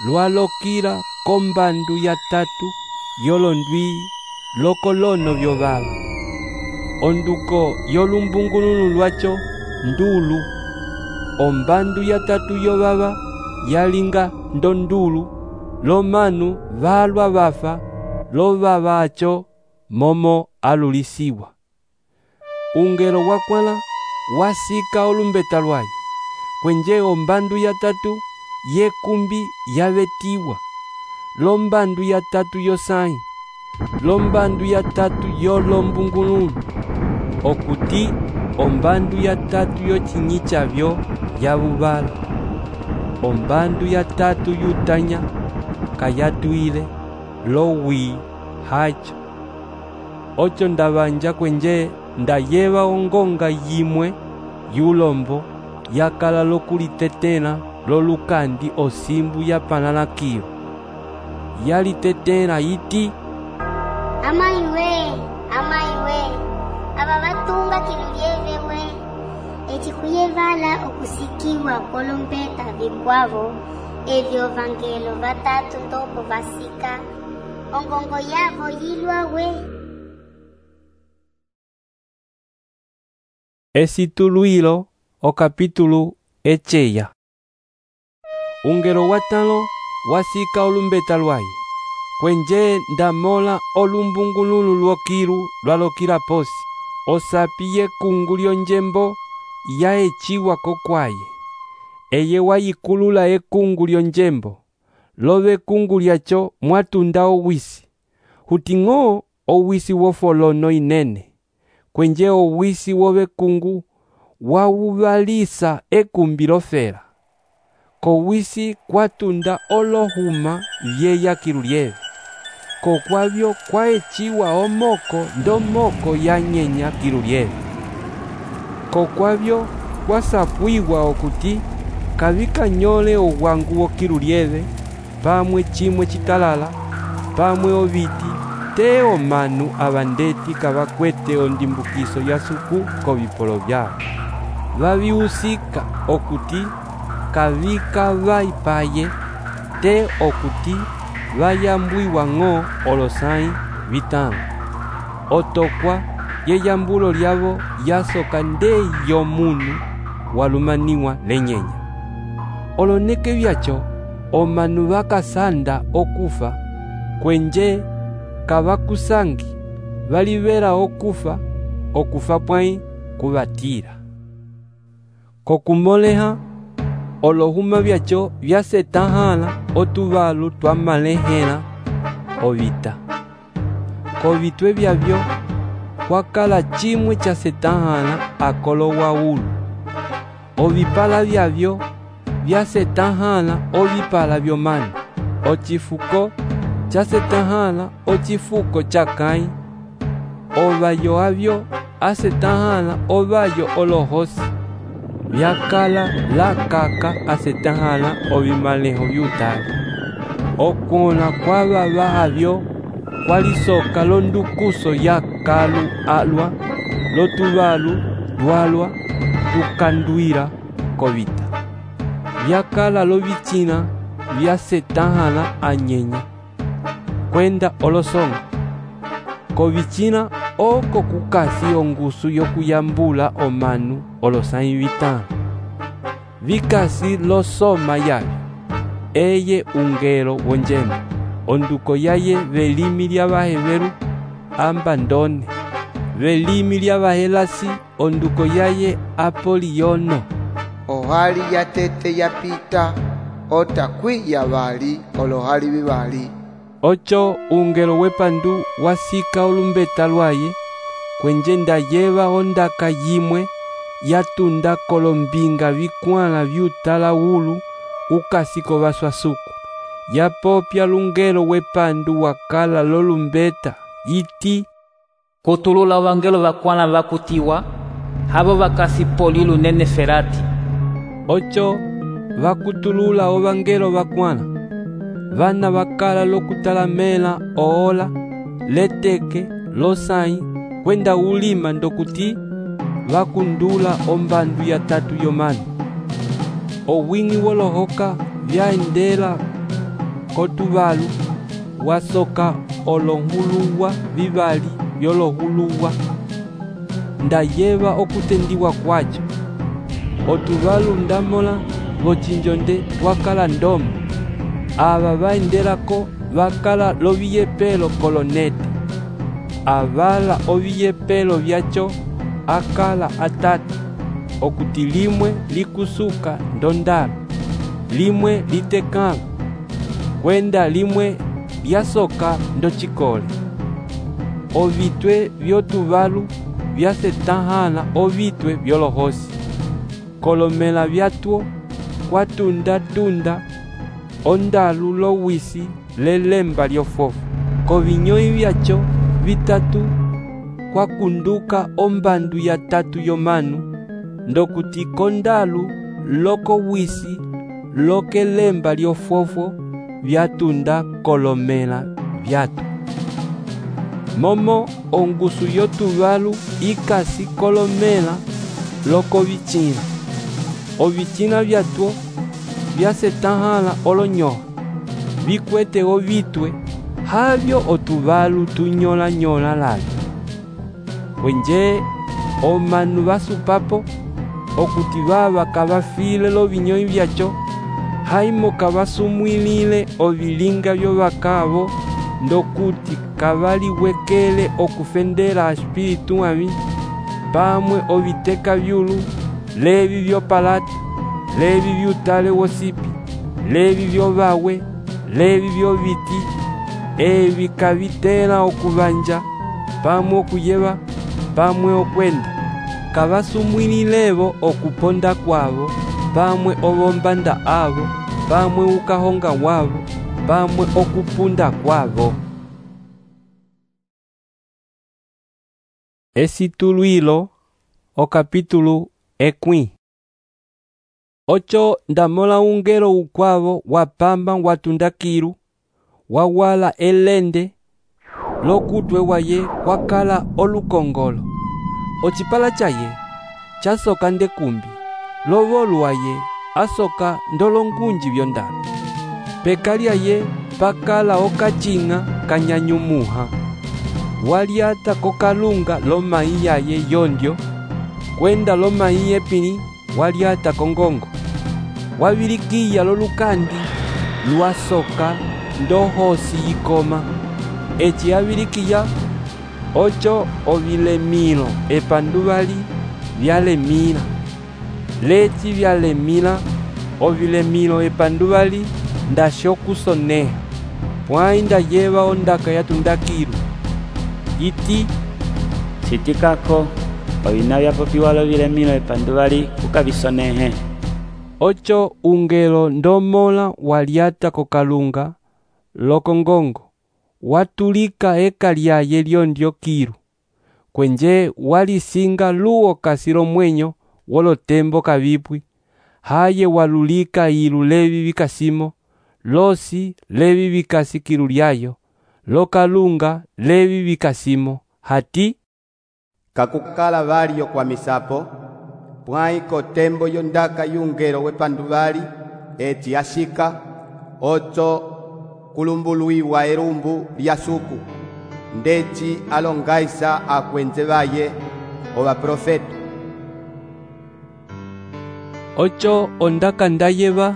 Lwalokira kombandu ya tatu yolondwi lokolono vyovava. Onduko yolumbungululu lwacho ndulu. Ombandu ya tatu yovava yalinga ndondulu, lomanu valwa vafa lovavacho momo alulisiwa. Ungelo wakwala wasika olumbeta lwaye, kwenje ombandu ya tatu yekumbi yavetiwa. Lombandu ya tatu yosai, lombandu ya tatu yolombungululu, okuti ombandu ya tatu yochinyi chavyo yavuvala. Ombandu ya tatu yutanya kayatuile lowi hacho. Ocho ndavanja kwenje ndayeva ongonga yimwe yulombo yakala lokulitetela lolukandi osimbu yapanalakio. Yalitetela iti, amaiwe, amaiwe, aba batunga kilulyevewe, echikuyevala okusikiwa kolombeta vikwavo, evyo vangelo vatatu ndopo vasika, ongongo yavo yilwawe. Esituluilo o capítulo echeya. Ungelo watalo wasika olumbeta lwaye, kwenje ndamola olumbungululu lwokilu lwalokira posi. Osapiye kungulyo njembo yaechiwa kokwaye. Eye wayikulula ekungulyo njembo, love kungulyacho mwatunda owisi. Huting'o owisi wofolono inene, kwenje owisi wovekungu wawuvalisa ekumbi lofela. Kowisi kwatunda olohuma vyeya kilulyeve, kokwavyo kwaechiwa omoko ndomoko yanyenya kilulyeve. Kokwavyo kwasapwiwa okuti kavikanyole owangu wokilulyeve, pamwe chimwe chitalala, pamwe oviti, te omanu abandeti kavakwete ondimbukiso yasuku kovipolo vyao. Vaviusika okuti kavika vaipaye, te okuti vayambwiwa ng'o olosai vitano. Otokwa yeyambulo lyavo yasoka nde yomunu walumaniwa lenyenya. Oloneke vyacho omanu vakasanda okufa, kwenje kavakusangi valivera okufa, okufa pwai kuvatira. Kokumoleha olohuma vyacho vyasetahala otuvalu twamalehela ovita. Kovitwe vyavyo kwakala chimwe chasetahala akolo waulu. Ovipala vyavyo vyasetahala ovipala vyomanu. Ochifuko chasetahala ochifuko chakai. Ovayo avyo asetahala ovayo olohosi. Vyakala la kaka asetahala ovimaleho vyutali. Okona kwava vahavyo kwalisoka londukuso ya kalu alwa, lotuvalu dwalwa tukanduira kovita. Vyakala lovichina vyasetahala anyenya, kwenda olosonga. Kovichina oko kukasi ongusu yokuyambula omanu olosai vitano. Vikasi losoma yavyo, eye ungelo wonjembo. Onduko yaye velimi lya vaheveru ambandone. Velimi lya vahelasi onduko yaye Apoliyono. Ohali yatete yapita, otakwi yavali olohali vivali. Ocho ungelo wepandu wasika olumbeta lwaye, kwenje ndayeva ondaka yimwe yatunda kolombinga vikwala vyutala ulu ukasiko vaswasuku yapopya lungelo wepandu wakala lolumbeta iti kutulula vangelo vakwala vakutiwa havo vakasipoli lunene ferati. Ocho vakutulula ovangelo vakwala vana vakala lokutalamela oola leteke losai kwenda ulima ndokuti vakundula ombandu ya tatu yomanu. Owingi wolohoka vyaendela kotuvalu wasoka olohuluwa vivali vyolohuluwa ndayeva okutendiwa kwacho. Otuvalu ndamola vochinjonde wakala ndomo ava vaendelako vakala loviyepelo kolonete avala oviyepelo vyacho akala atatu okuti limwe likusuka ndondalo limwe litekala kwenda limwe lyasoka ndochikole. Ovitwe vyotuvalu vyasetahana ovitwe vyolohosi kolomela vyatwo kwatunda-tunda ondalu lowisi lelemba lyofofu kovinyoi vyacho vitatu kwakunduka ombandu ya tatu yomanu ndokuti kondalu loko wisi lokelemba lyofofo vyatunda kolomela vyatu. Momo ongusu yotuvalu ikasi kolomela loko vichina. Ovichina vyatwo vyasetahana olonyoha vikwete ovitwe havyo otuvalu tunyola nyola lavi. Kwenje omanu vasupapo okuti vava kavafile lovinyoi vyacho haimo kavasumwilile ovilinga vyovakavo ndokuti kavaliwekele okufendela espiritu avi pamwe oviteka vyulu levi vyopalata levi vyutale wosipi levi vyovawe levi vyoviti evi kavitela okuvanja pamwe okuyeva pamwe okwenda kavasumwililevo okuponda kwavo pamwe ovombanda avo pamwe ukahonga wavo pamwe okupunda kwavo. Esituluilo okapitulu ekwi. Ocho ndamola ungelo ukwavo wapamba watundakiru wawala elende lokutwe waye wakala olukongolo ochipala chaye chasoka ndekumbi lovolu waye asoka ndolongunji vyondalo pekalia ye pakala okachinga kanyanyumuha waliata kokalunga lomai yaye yondyo kwenda lomai yepini waliata kongongo wavilikiya lolukandi lwasoka ndohosi yikoma eci avilikiya ocho ovilemilo epanduvali vyalemila leci vyalemila ovilemilo epanduvali ndashokusoneha pwai ndayeva ondaka yatundakiru iti sitikako ovina vyapopiwa lovilemilo epanduvali kukavisonehe. Ocho ungelo ndomola waliata kokalunga lokongongo watulika eka lyaye lyondyo kiru kwenje walisinga luo kasilo mwenyo wolotembo kavipwi haye walulika ilu levi vikasimo losi levi vikasi kiru lyayo lokalunga levi vikasimo hati kakukala valiyo kwa misapo pwai kotembo yondaka yungelo wepanduvali eti ashika ocho kulumbuluiwa erumbu lyasuku ndeci alongaisa akwenze vaye ova profeta. Ocho ondaka ndayeva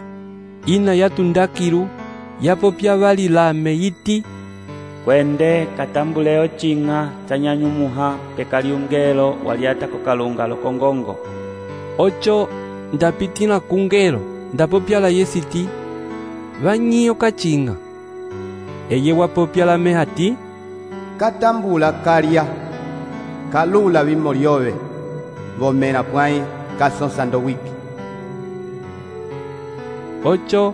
ina yatundakiru yapopya vali lame iti kwende katambule ochinga chanyanyumuha pekaliungelo waliata kokalunga lokongongo. Ocho ndapitila kungelo ndapopya la yesiti vanyiyo kachinga eye wapopya la mehati katambula kalya kalula vimo lyove vomela pwãyi kasõsa ndowiki. Ocho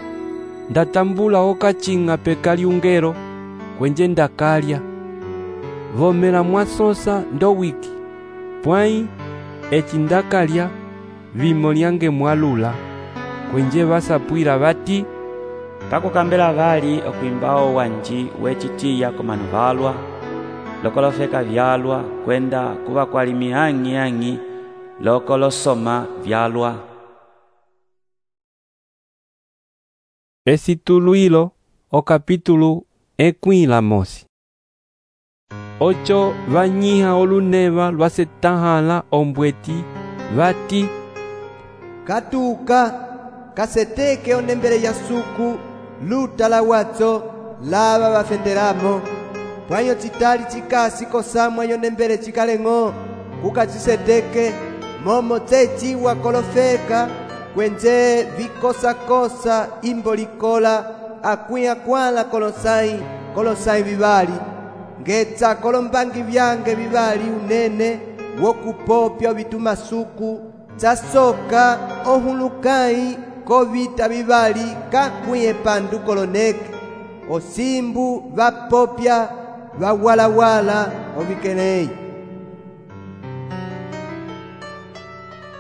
ndatambula okacinga peka lyungero kwenje ndakalya vomela mwasõsa ndowiki pwãyi eci ndakalya vimo lyange mwalula kwenje vasapwila vati pakukambela vali okwimbawo wanji wecitiya komanu valwa lokolofeka vyalwa kwenda kuva kwali mihang'i-hang'i lokolosoma vyalwa. Esituluilo o capítulo ekwila mosi. Ocho vanyiha oluneva lwasetahala ombweti vati katuka kaseteke onembele ya suku luta la watso lava vafenderamo pwanyo citali cikasi kosamwa yonembele cikaleng'o kukaciseteke momo tseciwa kolofeka kwenje vikosakosa imbo likola akwiya kwala kolosai kolosai vivali ngetsa kolombangi vyange vivali unene wokupopya vitumasuku tsasoka ohulukai kovita vivali kakwiye pandu koloneke osimbu vapopya vawalawala ovikelei.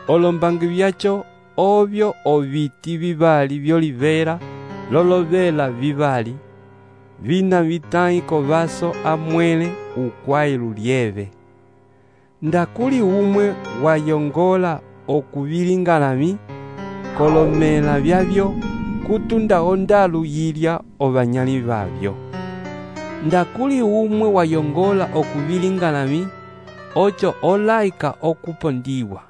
Olombangi vyacho ovyo oviti vivali vyolivera lolovela vivali vina vitai kovaso amwele ukwai lulieve ndakuli umwe wayongola okuvilingalami kolomela vyavyo kutunda ondalu yilya ovanyali vavyo ndakuli umwe wayongola okuvilingalami ocho olaika okupondiwa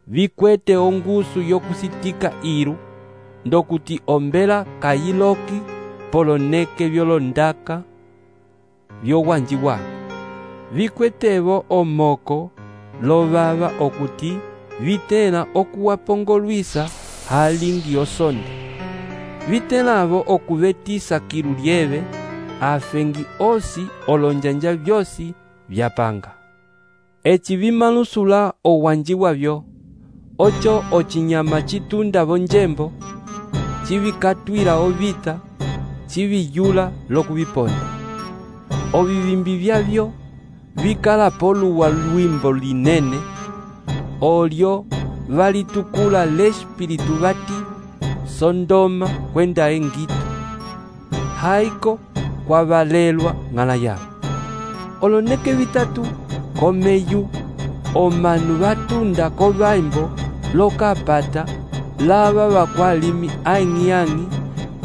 vikwete ongusu yokusitika iru ndokuti ombela kayiloki poloneke vyolondaka vyowanjiwa vikwetevo omoko lovava okuti vitela okuwapongolwisa halingi osonde vitelavo okuvetisa kilu lieve afengi osi olonjanja vyosi vyapanga eci vimalusula owanjiwa vyo ocho ocinyama citunda vonjembo civikatwila ovita civiyula lokuviponda ovivimbi vyavyo vikala poluwa lwimbo linene olyo valitukula l'espiritu vati Sondoma kwenda Engito haiko kwavalelwa ng'ala yavo oloneke vitatu komeyu omanu vatunda kovaimbo lokapata lava vakwalimi ang'i-ang'i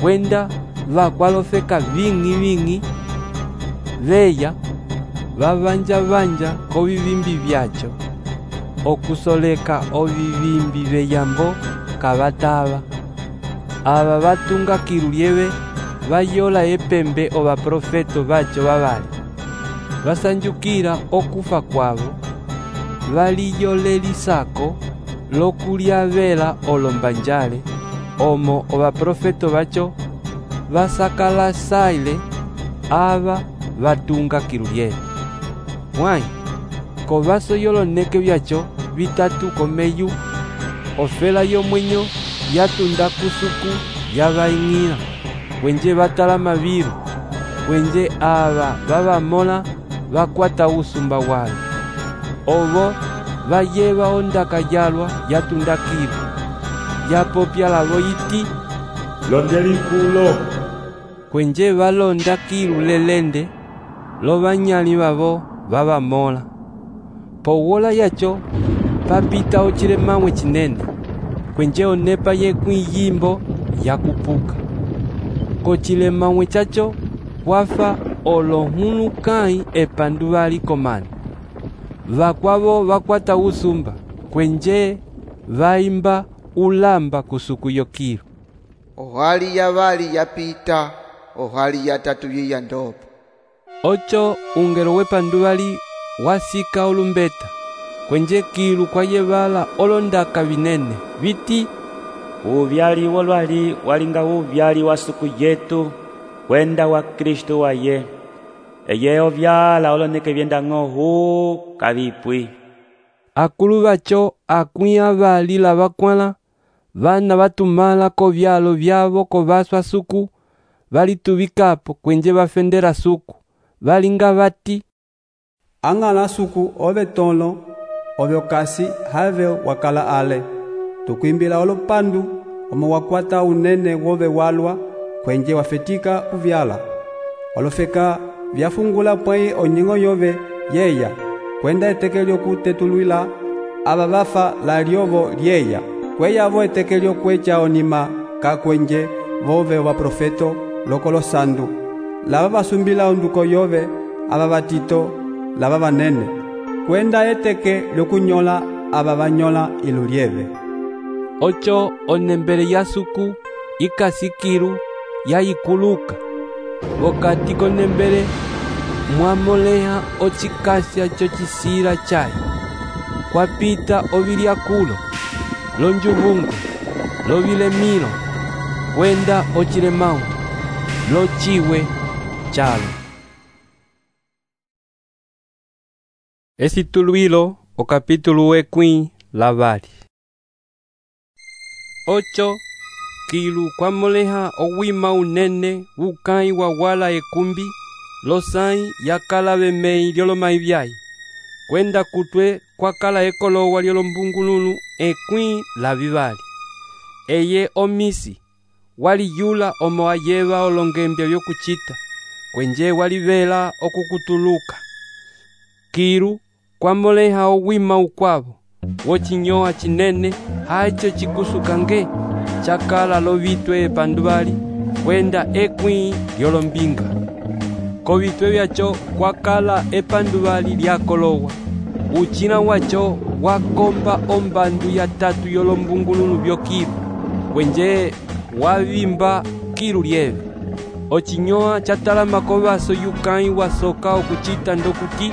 kwenda vakwalofeka ving'i-ving'i veya vavanja-vanja kovivimbi vyacho okusoleka ovivimbi veyambo kavatava ava vatunga kilu lieve vayola epembe ovaprofeto vacho vavali vasanjukila okufa kwavo valiyolelisako lokulyavela olombanjale omo ovaprofeto vacho vasakalasaile ava vatunga kilu lieve mwayi kovaso yoloneke vyacho vitatu komeyu ofela yomwenyo yatunda kusuku yavaing'ila kwenje vatala mavilu kwenje ava vavamola vakwata usumba wayo ovo vayeva ondaka yalwa yatunda kilu yapopya lavo yiti londelikulo kwenje valonda kilu lelende lovanyali vavo vavamola powola yacho papita ocilemamwe cinene kwenje onepa yekwiyimbo yakupuka kocilemamwe chacho kwafa olohulukai epandu vali komani vakwavo vakwata usumba kwenje vaimba ulamba kusuku yokilu ohali yavali yapita ohali yatatu yiya ndopo ocho ungelo wepandu vali wasika olumbeta kwenje kilu kwayevala olondaka vinene viti uvyali wolwali walinga uvyali wa suku yetu kwenda wa Kristo waye eye ovyala oloneke vyendang'o hu kavipwi. Akulu vacho akwĩ avali lavakwãla vana vatumala kovyalo vyavo kovaswa suku valituvikapo kwenje vafendera suku valinga vati ang'ala suku ove tolo ove okasi have wakala ale tukwimbila olopandu omo wakwata unene wove walwa kwenje wafetika kuvyala olofeka vyafungula pwai onying'o yove yeya kwenda eteke lyokutetulwila ava vafa la lyovo lyeya kweyavo eteke lyokwecha onima kakwenje vove vaprofeto lokolo sandu lava vasumbila onduko yove ava vatito lava vanene kwenda eteke lyokunyola ava vanyola ilu lyeve. Ocho onembele ya suku ikasikiru yayikuluka wakati konembele mwamoleha ochikasya chocisila chayi kwapita ovilyakulo lonjuvungu lovilemilo kwenda ocilemau lociwe chalo. Esitulwilo okapitulu wekwĩ lavali. Ocho kilu kwamoleha owima unene ukãyi wawala ekumbi losãyi yakala vemei lyolomai vyayi kwenda kutwe kwakala ekolowa lyolombungululu ekwĩ lavivali eye omisi waliyula omo ayeva olongembya vyokucita kwenje walivela okukutuluka. Kilu kwamoleha owima ukwavo wocinyoa cinene hacho cikusukange chakala lovitwe epanduvali kwenda ekwĩ lyolombinga kovitwe vyacho kwakala epanduvali lyakolowa ucina wacho wakomba ombandu ya tatu yolombungululu vyokilu kwenje wavimba kilu lyeve ocinyoa chatalama kovaso yukãyi wasoka okucita ndokuti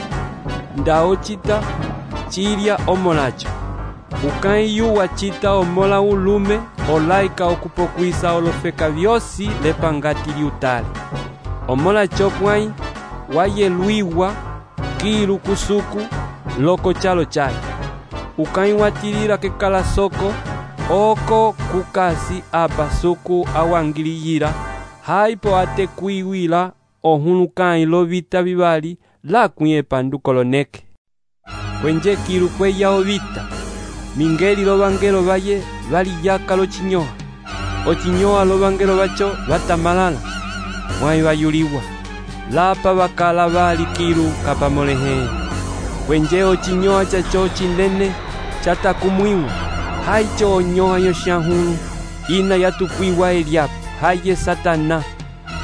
nda ocita cilya omolacho ukãyi yu wacita omola ulume olaika okupokwisa olofeka vyosi lepangati liutale omolacho pwãyi wayelwiwa kilu kusuku loko chalo chayi ukãyi watilila kekala soko oko kukasi apa suku awangiliyila haipo atekwiwila ohulukãyi lovita vivali lakwĩ epanduko loneke kwenje kilu kweya ovita mingeli lovangelo vaye valiyaka locinyoa ocinyoa lovangelo vacho vatamalala mwãyi vayuliwa lapa vakala vali kilu kapamolehe kwenje ocinyoa chacho cinene chatakumwiwa haicho onyoa yoxahulu ina yatukwiwa eliapo haye Satana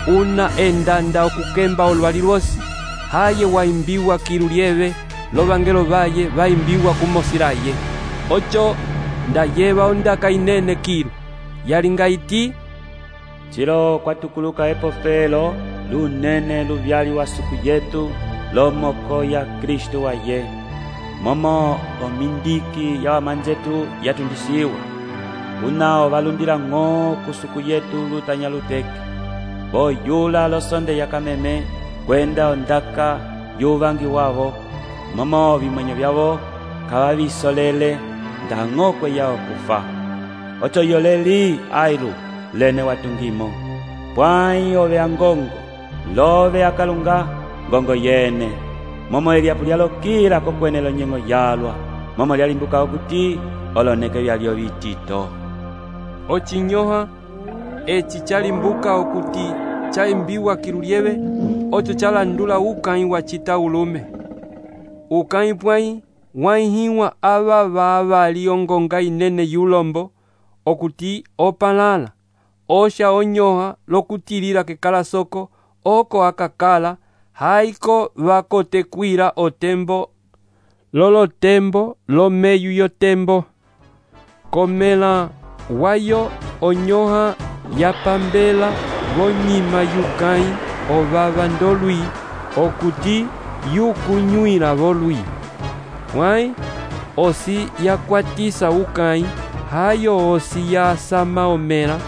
una endanda okukemba olwali lwosi haye waimbiwa kilu lyeve lovangelo vaye vaimbiwa kumosilaye ocho ndayeva ondaka inene kilu yalinga iti cilo kwatukuluka epofelo lunene luvyali wa suku yetu lomoko ya Kristu waye momo omindiki ya wamanzetu yatundisiwa unao valundila ng'o kusuku yetu lutanya luteke boyula losonde yakameme kwenda ondaka yuvangi wavo momo vimwenyo vyavo kavavisolele ndang'o kweyao kufa ocho yoleli ailu lene watungimo pwãyi ove angongo love akalunga ngongo yene momo eliapu lyalokila kokwene lonyeng'o yalwa momo lyalimbuka okuti oloneke vyalyo vitito ocinyoha eci chalimbuka okuti chaimbiwa kilu lyeve ocho chalandula ukãyi wacita ulume ukãyi pwãyi waihiwa ava vaavali ongonga inene yulombo okuti opalala osha onyoha lokutilila kekala soko oko akakala haiko vakotekwila otembo lolotembo lomeyu yotembo komela wayo onyoha yapambela vonyima yukãyi ovava ndolwi okuti yukunywila volwi pwãyi osi yakwatisa ukãyi hayo osi yasama omela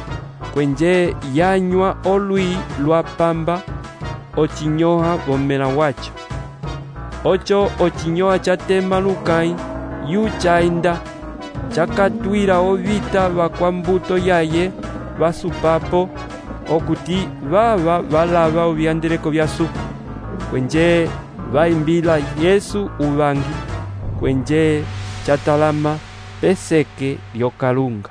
kwenje yanywa olwi lwapamba ocinyoha vomela wacho. Ocho ocinyoha chatema lukai yu chainda chakatwila ovita vakwa mbuto yaye vasupapo okuti vava valava ovyandeleko vya suku kwenje vaimbila Yesu uvangi kwenje chatalama peseke lyokalunga.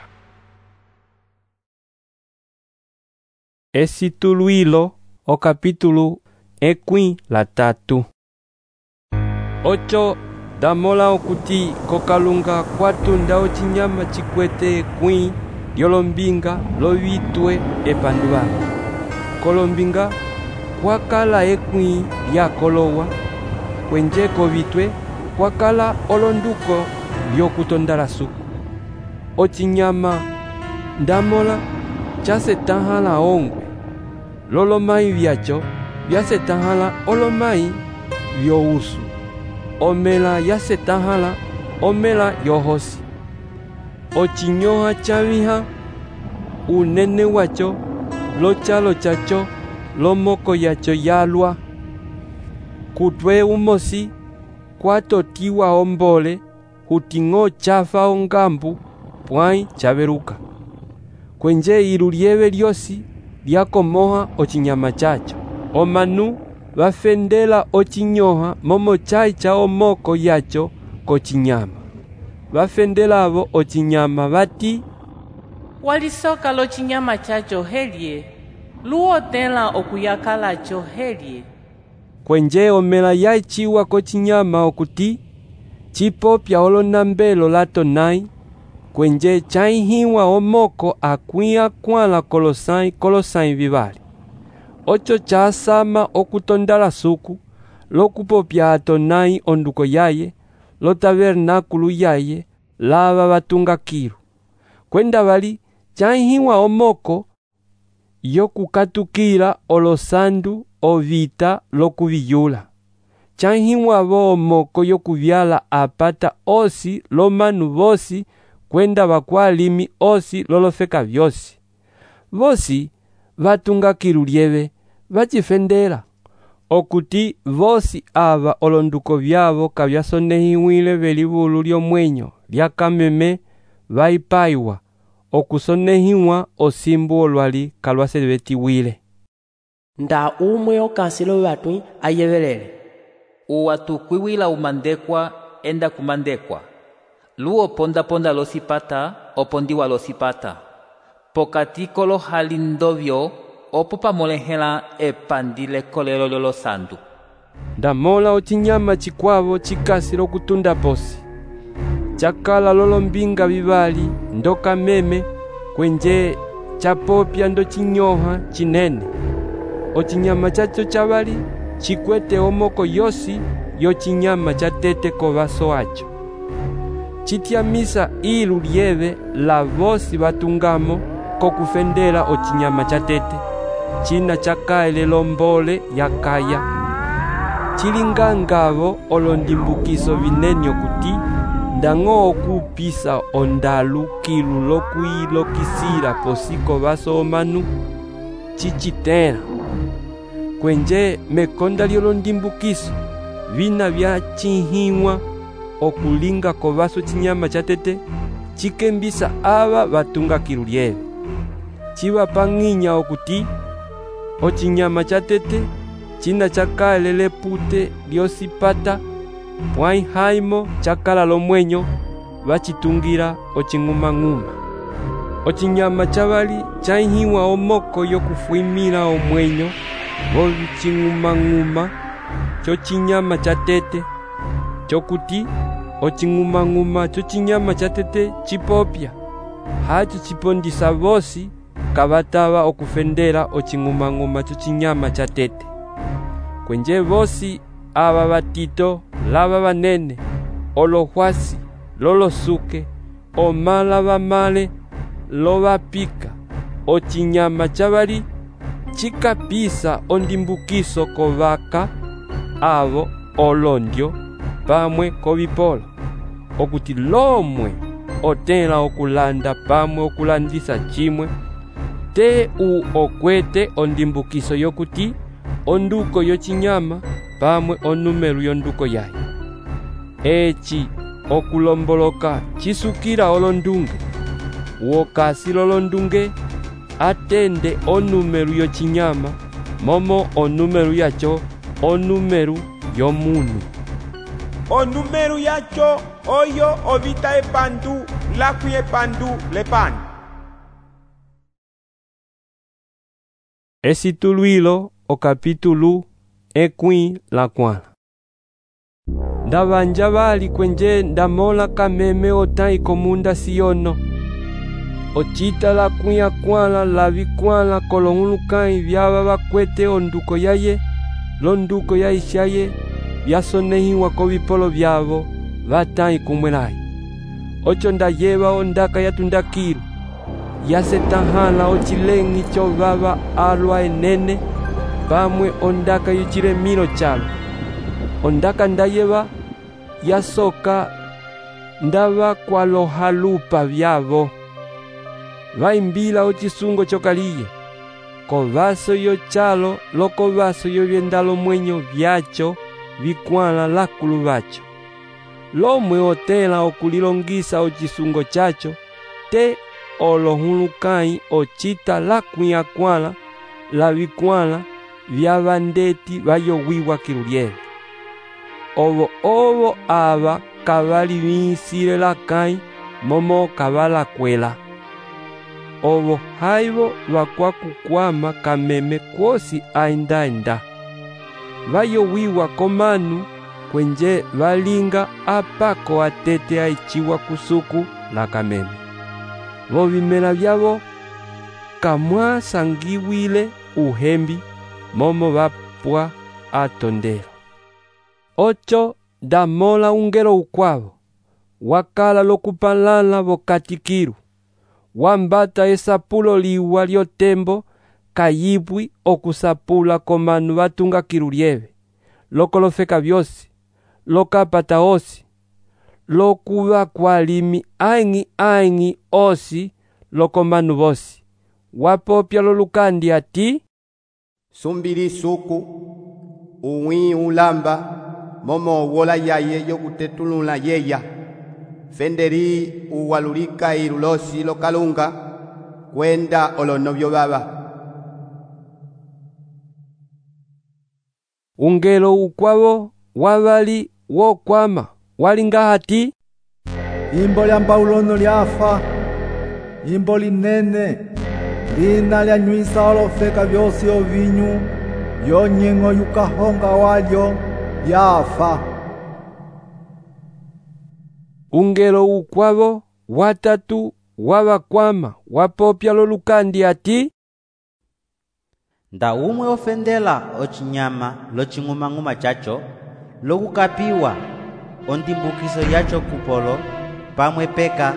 Esituluilo o capítulo ekwi la tatu. Ocho damola okuti kokalunga kwatunda ocinyama chikwete ekwi lyolombinga lovitwe epanduwa. Kolombinga kwakala ekwi lyakolowa kwenje kovitwe kwakala olonduko lyokutondala suku. Ocinyama ndamola chasetahala ongwe lolomai vyacho vyasetahala olomai vyousu. Omela yasetahala omela yohosi. Ocinyoha chaviha unene wacho lochalo chacho lomoko yacho yalwa. Kutwe umosi kwatotiwa ombole huting'o chafa ongambu pwai chaveruka. Kwenje ilu lieve lyosi lyakomoha ocinyama chacho. Omanu vafendela ocinyoha momo chai cha omoko yacho kocinyama. Vafendelavo ocinyama vati walisoka lo cinyama chacho helye luotela okuyakalacho helye. Kwenje omela yaichiwa kocinyama okuti chipopya olonambelo latonai kwenje chaihiwa omoko akwia kwala kolosai kolosai vivali. Ocho chasama okutondala suku lokupopya atonai onduko yaye lo tabernakulu yaye lava vatunga kilu. Kwenda vali chaihiwa omoko yokukatukila olosandu ovita lokuviyula. Chaihiwa vo omoko yokuvyala apata osi lomanu vosi kwenda vakwalimi osi lolofeka vyosi. Vosi vatunga kilu lieve vachifendela okuti vosi ava olonduko vyavo kavyasonehiwile velivulu lyomwenyo lyakameme vaipaiwa okusonehiwa osimbu olwali kalwasevetiwile. Nda umwe okansilo vatwi ayevelele. Uwatukwiwila umandekwa enda kumandekwa. Luo ponda ponda losipata opondiwa losipata. Pokati kolo halindovyo opo pamolehela epandile kolelo lyolosandu. Ndamola ocinyama chikwavo chikasi lokutunda posi. Chakala lolombinga vivali ndoka meme kwenje chapopya ndo cinyoha chinene. Ocinyama chacho chavali chikwete omoko yosi yo cinyama chatete kovaso wacho. Chitiamisa ilu lieve la vosi vatungamo kokufendela ocinyama chatete. China chakaele lombole yakaya. Chilingangavo olondimbukiso vinenyo kuti ndang'o okupisa ondalu kilu lokuilokisila posiko vaso omanu chichitela. Kwenje mekonda lyolondimbukiso vina vyachihiwa okulinga kovaso chinyama chatete chikembisa ava vatunga kilu lieve. Chiva pang'inya okuti ocinyama chatete china chakale lepute lyosipata pwai haimo chakala lomwenyo vachitungira ocing'umang'uma. Ocinyama chavali chaihiwa omoko yokufuimila omwenyo vocing'umang'uma cho cinyama chatete chokuti ocing'umang'uma cho cinyama chatete chipopya hacho chipondisa vosi kavatava okufendela ocing'umang'uma cho cinyama chatete. Kwenje vosi ava vatito lava vanene olohwasi lolosuke omala vamale lovapika ocinyama chavali chikapisa ondimbukiso kovaka avo olondyo pamwe kovipolo okuti lomwe otela okulanda pamwe okulandisa chimwe te u okwete ondimbukiso yokuti onduko yochinyama pamwe onumero yonduko yayo. Eci okulomboloka chisukira olondunge, wokasi lolondunge atende onumero yochinyama momo onumero yacho onumero yomunu. Onumero yacho oyo ovita epandu lakwi epandu lepani. Esituluilo o capítulo ekwi la kwala. Ndavanja vali kwenje ndamola kameme otai komunda siono. Ochita la kuya kwala la vikwala kolongulukai vyava vakwete onduko yaye, londuko ya ishaye, vyasonehiwa ko vipolo vyavo, vatai kumwelai. Ocho ndayeva ondaka yatundakiru, yasetahala ochilengi chovava alwa enene, pamwe ondaka yuchiremiro chalo. Ondaka ndayeva yasoka ndava kwalohalupa vyavo. Vaimbila ochisungo chokaliye, kovaso yo chalo lokovaso yo vyendalo mwenyo vyacho vikwala lakulu vacho. Lomwe otela okulilongisa ochisungo chacho, te olohulukai ochita lakwi akwala la vikwala vya vandeti vayowiwa kiluliele. Ovo ovo ava kavali vinsile lakai momo kavala kwela. Ovo haivo vakwa kukwama kameme kwosi ainda enda. Vayowiwa komanu kwenje valinga apako atete aichiwa kusuku la kameme. Vovimela vyavo kamwa sangiwile uhembi momo vapwa atondero. Ocho damola ungelo ukwavo, wakala lokupalala vokatikiru, wambata esapulo liwa lyotembo kayibwi okusapula komanu vatunga kirulieve, lokolofeka vyosi, lokapata osi, lokuva kwalimi aingi aingi osi lokomanu vosi. Wapopya lolukandi ati, sumbili suku, uwi ulamba, momo wola yaye yokutetulula yeya. Fenderi uwalulika irulosi lokalunga, kwenda olonovyo baba. Ungelo ukwavo wavali wokwama walinga hati, imbo lya mbaulono lyafa, imbo linene, lina lyanywisa olofeka vyosi ovinyu, yonyengo yukahonga walyo yafa. Ungelo ukwavo watatu wavakwama wapopya lolukandi ati, nda umwe ofendela ochinyama loching'umang'uma chacho, lokukapiwa ondimbukiso yacho kupolo pamwe peka.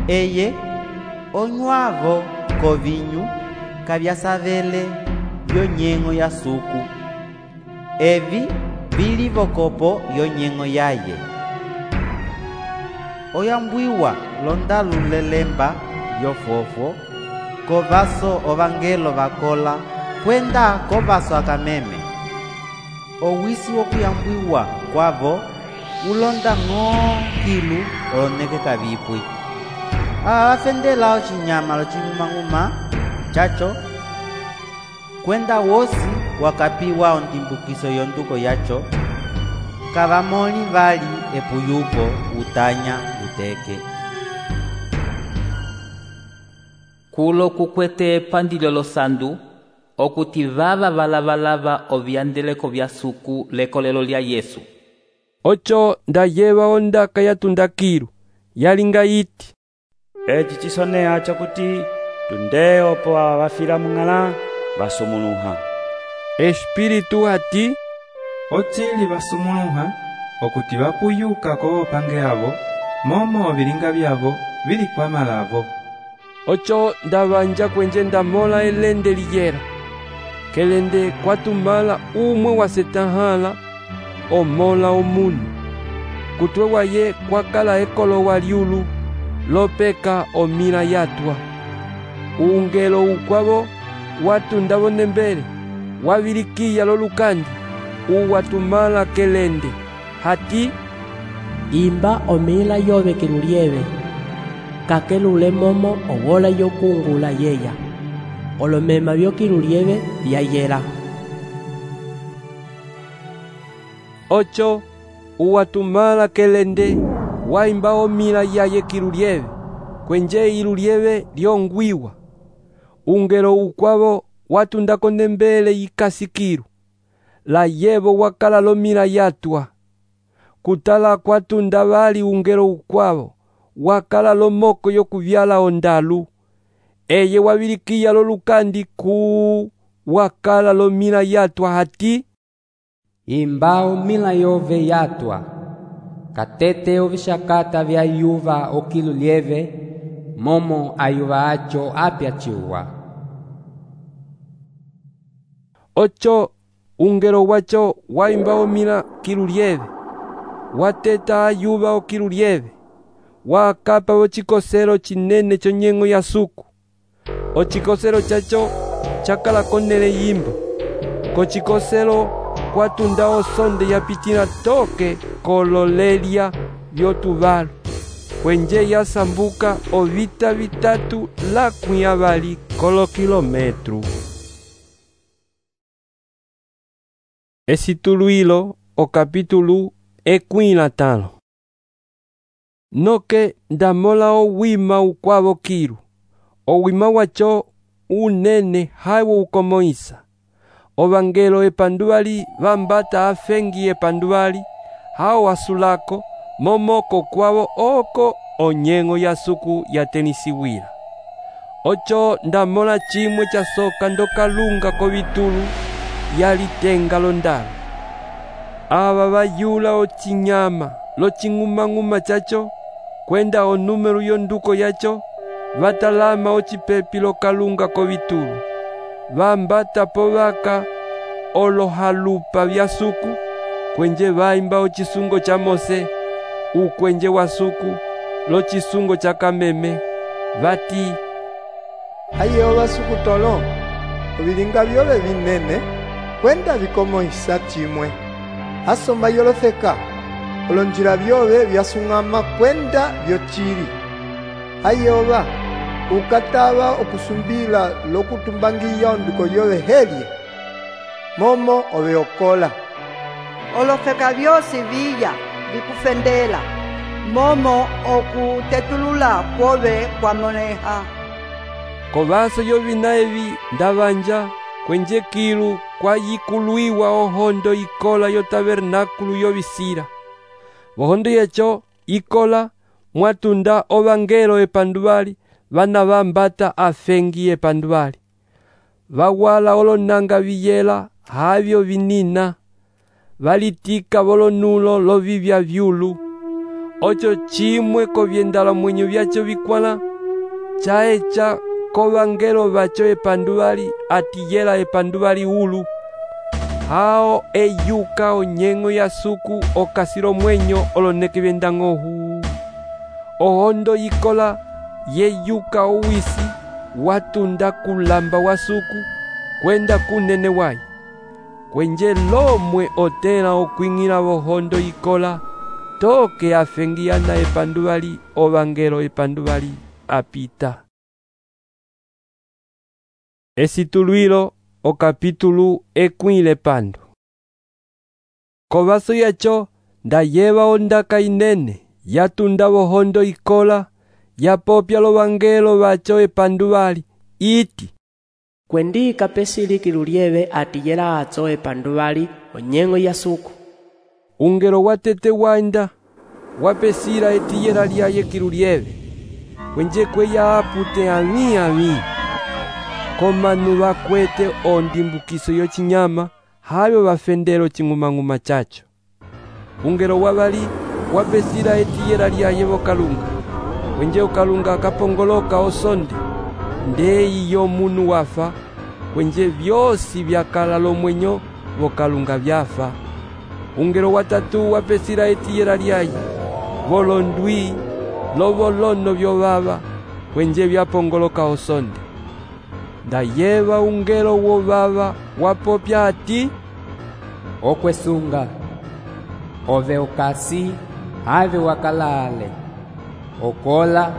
Eye onywavo kovinyu kavyasavele yonyengo ya suku. Evi bili vokopo yonyengo yaye. Oyambwiwa londalulelemba yofofo, kovaso ovangelo vakola, kwenda kovaso akameme. Owisi wokuyambwiwa kwavo, ulonda ng'o kilu oloneke kavipwi. Afendela ochinyama loching'umang'uma chacho, kwenda wosi wakapiwa ondimbukiso yonduko yacho, kavamoli vali epuyupo utanya uteke. Kulo kukwete pandilo losandu, okuti vava valavalava ovyandeleko vya suku lekolelo lya Yesu. Ocho ndayeva ondaka yatundakiru, yalinga iti, eci chisonea chokuti tunde opo avafila mung'ala vasumuluha. Espiritu ati, ochili vasumuluha okuti vapuyuka ko opange avo, momo vilinga vyavo vili kwamalavo. Ocho ndavanja kwenje ndamola elende liyera, kelende kwatumala umwe wasetahala omola omunu. Kutwe waye kwakala ekolo waliulu, lopeka omila yatwa. Ungelo ukwavo watundavo nembele, wavilikiya lolukandi uwatumala kelende hati imba omila yove kilulieve kakelule momo owola yokungula yeya olomema vyokilulieve vyayela. Ocho uwatumala kelende waimba omila yaye kilulieve kwenje ilulieve lyongwiwa ungelo ukwavo watunda konembele yikasikiru la yevo wakala lomila yatwa kutala kwatunda vali ungelo ukwavo wakala lomoko yokuvyala ondalu eye wavilikiya lolukandi ku wakala lomila yatwa hati imba omila yove yatwa katete ovixakata vya yuva okilulieve momo ayuva acho apyaciwa. Ocho ungelo wacho waimba omila kilulieve wateta ayuva okilulieve wakapa ochikoselo chinene chonyengo ya suku ochikoselo chacho chakala konele yimba kochikoselo kwatunda osonde yapitila toke kololelia vyotuvalu kwenje yasambuka ovita vitatu lakwi avali kolokilometru. Esituluilo o capítulo ekwi na tano. Noke ndamola owima ukwavo kilu owima wacho unene hawo ukomoisa ovangelo epanduvali vambata afengi epanduvali hao wasulako momoko kwavo oko onyengo ya suku yatenisiwila. Ocho ndamola chimwe cha soka ndokalunga kovitulu yalitenga londalu ava vayula ochinyama loching'umang'uma chacho kwenda onumero yonduko yacho vatalama ochipepi lokalunga kovitulu vambata povaka olohalupa vya suku kwenje vaimba ochisungo cha Mose ukwenje wa suku lochisungo cha kameme vati ayeova suku tolo ovilinga vyove vinene kwenda vikomoisa chimwe asomba yolofeka olonjila vyove vyasung'ama kwenda vyochili ayeova ukatava okusumbila lokutumbangiya onduko yove helye momo oveokola olofeka vyosi viya vikufendela momo okutetulula kwove kwamoneha kovaso yovina evi ndavanja kwenje kilu kwayikuluiwa ohondo ikola yo tabernakulu yovisira vohondo yecho ikola mwatunda ovangelo epanduvali vana vambata afengi epanduvali vawala olonanga viyela havyo vinina valitika volonulo lovivya vyulu ocho chimwe kovyendala mwenyo vyacho vikwala chaecha kovangelo vacho epanduvali atiyela epanduvali ulu hao eyuka onyengo ya suku okasilo mwenyo oloneke vyendang'ohu ohondo yikola yeyuka owisi watunda kulamba wa suku kwenda kunene wayi kwenje lomwe otela okwing'ila vohondo yikola toke afengiyana epanduvali ovangelo epanduvali apita. Esituluilo o capítulo ekwile pando. Kovaso yacho ndayeva ondaka inene yatunda vohondo ikola yapopya lovangelo vacho epanduvali iti kwendika pesili kilulieve atiyela atso epanduvali onyengo ya suku ungelo watete wanda wapesila etiyela lyaye kilulieve kwenje kweya apute ami ami komanu vakwete ondimbukiso yochinyama havyo vafendelo ching'umang'uma chacho ungelo wavali wapesila etiyela lyaye vokalunga kwenje ukalunga akapongoloka osonde ndeyi yomunu wafa kwenje vyosi vyakala lomwenyo vokalunga vyafa ungelo watatu wapesila etiyela lyaye volondwi lovolono vyovava kwenje vyapongoloka osonde ndayeva ungelo wo vava wapopya ati, okwesunga ove okasi ave wakalale okola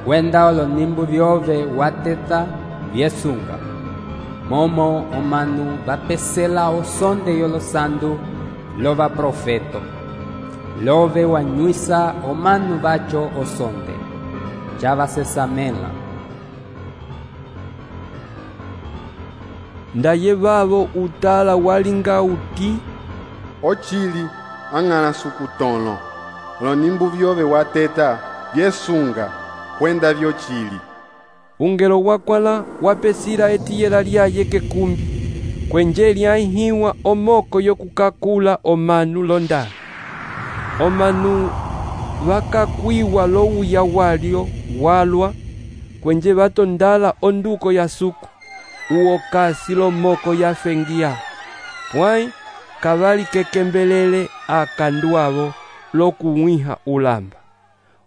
wenda olonimbu vyove wateta vyesunga momo omanu vapesela osonde yolosandu lova profeto love wanywisa omanu vacho osonde javasesamela ndayevavo utala walinga uti ochili ang'ana sukutono olonimbu vyove wateta vyesunga kwenda vyochili. Ungelo wakwala wapesira etiyela lyaye kekumbi kwenje lyaihiwa omoko yokukakula omanu londa omanu vakakwiwa lowuya walyo walwa kwenje vatondala onduko ya suku uokasi lomoko yafengia pwai kavali kekembelele akandu avo lokuwiha ulamba.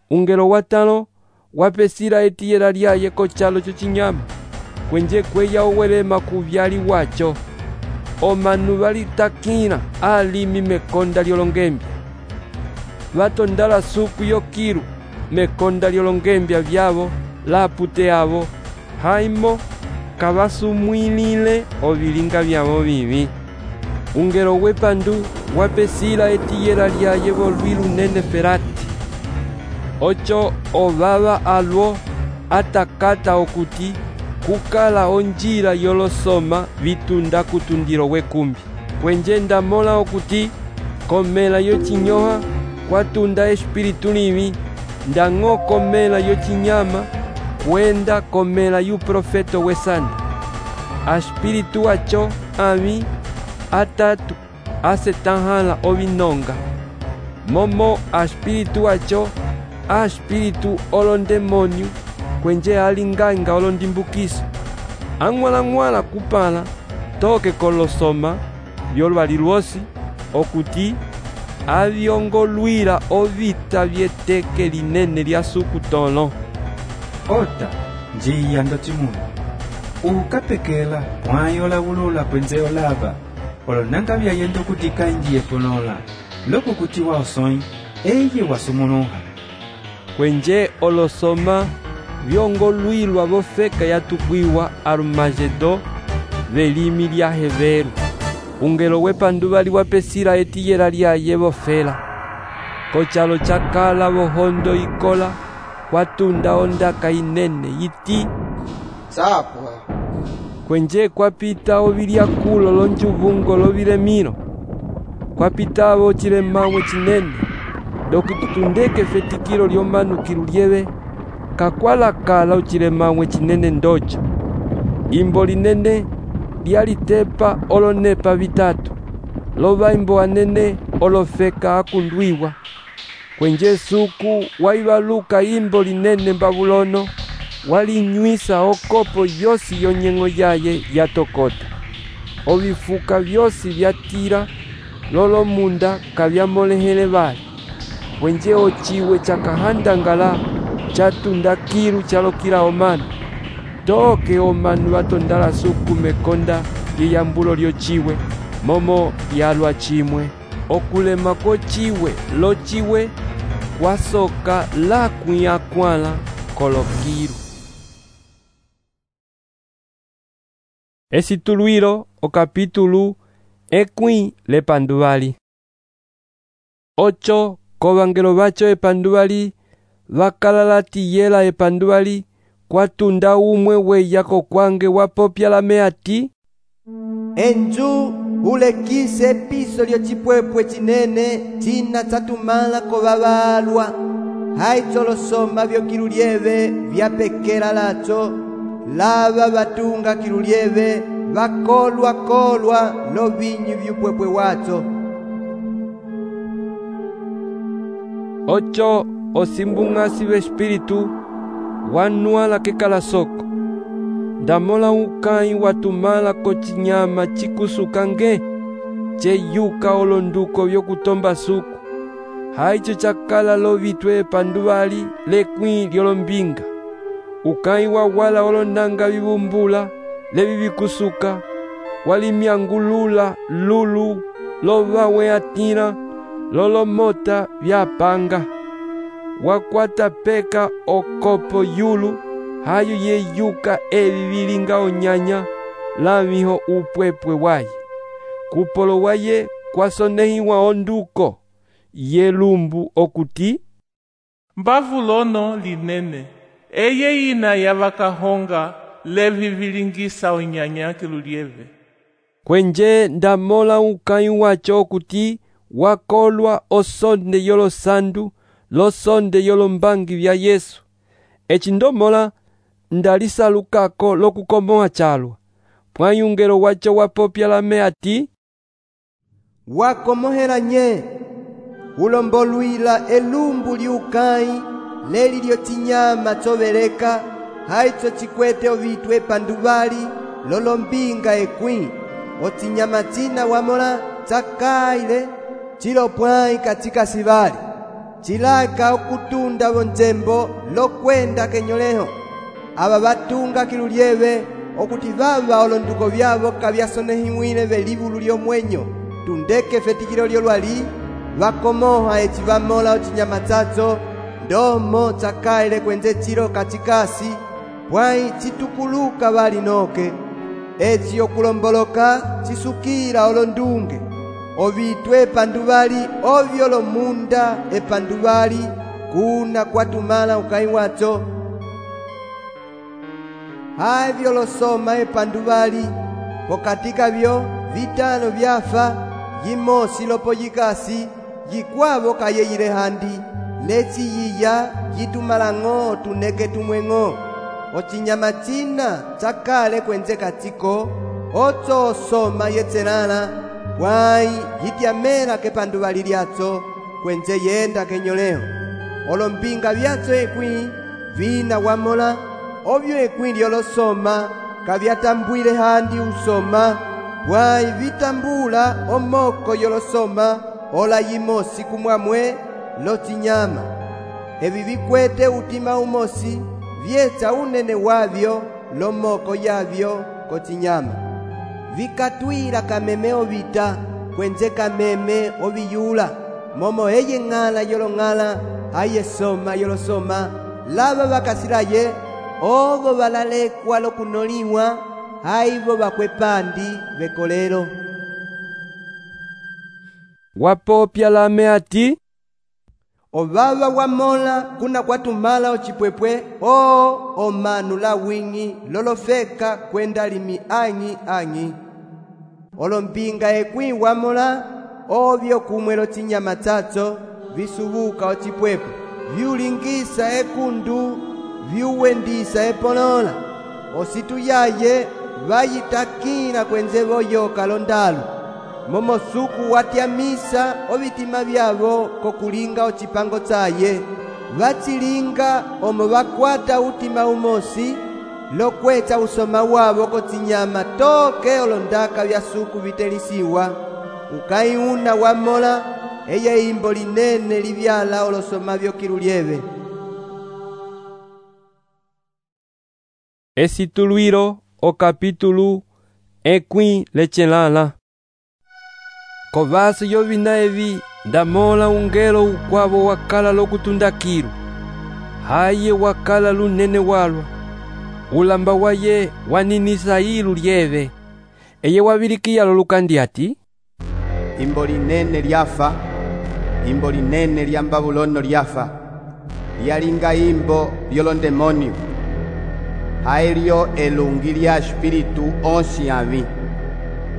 Ungelo watalo wapesira etiyela lyaye kochalo chocinyama kwenje kweya owelema kuvyali wacho omanu valitakila alimi mekonda lyolongembya vatondala suku yokilu mekonda lyolongembya vyavo lapute avo haimo kavasumwilile ovilinga vyavo vivi. Ungelo wepandu wapesira etiyela lyaye volwilu nene ferati ocho ovava alwo atakata okuti kukala onjila yolosoma vitunda kutundiro wekumbi kwenje ndamola okuti komela yochinyoha kwatunda espiritu livi ndang'o komela yochinyama kwenda komela yu profeto wesanda aspiritu acho avi atatu asetanhala ovinonga momo aspiritu acho aspiritu olondemonio kwenje alinganga olondimbukiso ang'wala-ng'wala kupala toke kolosoma vyolwali lwosi okuti avyongolwila ovita vyeteke linene lya sukutolo. Ota njiya ndocimunu ukapekela mwayola wulula kwenze olava olonanga vyayenda okutika injiye ponola loko kuti waosoi eye wasumuluha kwenje olosoma vyongolwilwa vofeka yatukwiwa Arumagedo velimi lya Heveru. Ungelo wepandu vali wapesira etiyela lyaye vofela kochalo chakala vohondo ikola kwatunda ondaka inene yiti sapwa kwenje kwapita ovilyakulo lonjuvungo lovilemilo kwapitavo chilemamwe chinene dokutundeke fetikilo lyomanukilu lyeve kakwalakala uchilemamwe chinene ndocho imbo linene lyalitepa olonepa vitatu lovaimbo anene olofeka akundwiwa kwenje suku waivaluka imbo linene mbabulono walinywisa okopo yosi yonyeng'o yaye yatokota ovifuka vyosi vyatira lolomunda kavyamolehele vali kwenje ochiwe chakahandangala chatunda kilu chalokila omanu toke omanu vatondala suku mekonda lyeyambulo lyochiwe momo yalwa chimwe okulema kochiwe lochiwe kwasoka lakwiyakwala kolokilu. Esituluilo o capítulo ekwi lepanduvali ocho kovangelo vacho epanduvali vakalala tiyela epanduvali kwatunda umwe weya kokwange wapopya lame ati enju ulekise piso lyocipwepwe cinene cina catumala kovavalwa haicholosoma vyokilu lyeve vyapekela lacho lava vatunga kilu lyeve vakolwa-kolwa lovinyu vyupwepwe wacho ocho osimbung'asi v'espiritu wanwala kekala soko ndamola ukai watumala kocinyama cikusukange ceyuka olonduko vyokutomba suku haicho chakala lovitwe epanduvali lekwi lyolombinga ukai wawala olonanga vivumbula levi vikusuka, walimyangulula lulu lovawe atira lolomota vyapanga. Wakwata peka okopo yulu hayo yeyuka evi vilinga onyanya lamiho upwepwe waye. Kupolo waye kwasonehiwa onduko yelumbu okuti mbavulono linene eye ina yavakahonga levi vilingisa onyanya kilulieve. Kwenje ndamola ukai wacho okuti wakolwa osonde yolosandu losonde yolombangi vya Yesu. Eci ndomola ndalisalukako lokukomoa chalwa. Pwayungelo wacho wapopya lame ati wakomohela nye ulombolwila elumbu liukai leli lyochinyama choveleka haicho chikwete ovitwe panduvali lolombinga ekwi ochinyama china wamola chakaile chilopwai katika sivali chilaka okutunda vonjembo lokwenda kenyoleho. Aba batunga kilulieve okuti vava olonduko vyavo kavyasonehimwile velivulu lyomwenyo tundeke fetikilo lyolwali vakomoha eci vamola ochinyama chacho ndomo chakaile kwenze chilo kachikasi pwai chitukuluka vali noke eci okulomboloka chisukila olondunge ovitwe epanduvali ovyo lomunda epanduvali kuna kwatumala ukai wacho havyo losoma epanduvali pokatika vyo vitano vyafa yimosi lopo yikasi yikwavo kayeyile handi leci yiya yitumalang'o tuneke tumweng'o ochinyama china chakale kwenze katiko ocho osoma yetselala pwai yityamela kepanduvali lyacho kwenze yenda kenyoleho olombinga vyacho ekwi vina wamola ovyo ekwi lyolosoma kavyatambwile handi usoma pwai vitambula omoko yolosoma ola yimosi kumwamwe lochinyama evi vikwete utima umosi vyecha unene wavyo lomoko yavyo kochinyama vikatwila kameme ovita kwenze kameme oviyula momo eye ng'ala yolong'ala aye soma yolosoma lava vakasilaye ovo valalekwa lokunoliwa haivo vakwepandi vekolelo. Wapopya lame ati ovava wamola kuna kwatumala ochipwepwe o omanu la wingi lolofeka kwenda limi anyi anyi olombinga ekwi wamola ovyo kumwelo chinyama chacho visubuka ochipwepwe vyulingisa ekundu vyuwendisa epolola ositu yaye vayitakila kwenze voyoka londalu momosuku watyamisa ovitima vyavo kokulinga ocipango chaye vachilinga omo vakwata utima umosi lokwecha usoma wavo kochinyama toke olondaka vya suku vitelisiwa ukai una wamola eye imbo linene livyala olosoma vyo kilulieve. Esituluiro o capítulo ekwi lechelala. Kovaso yovina evi ndamola ungelo ukwavo wakala lokutundakiru haye wakala lunene walwa ulamba waye waninisa ilu lyeve eye wavilikiya lolukandi ati imbo linene lyafa imbo linene lya Babulono lyafa lyalinga imbo lyolondemonio haelyo elungi lya espiritu onsi avi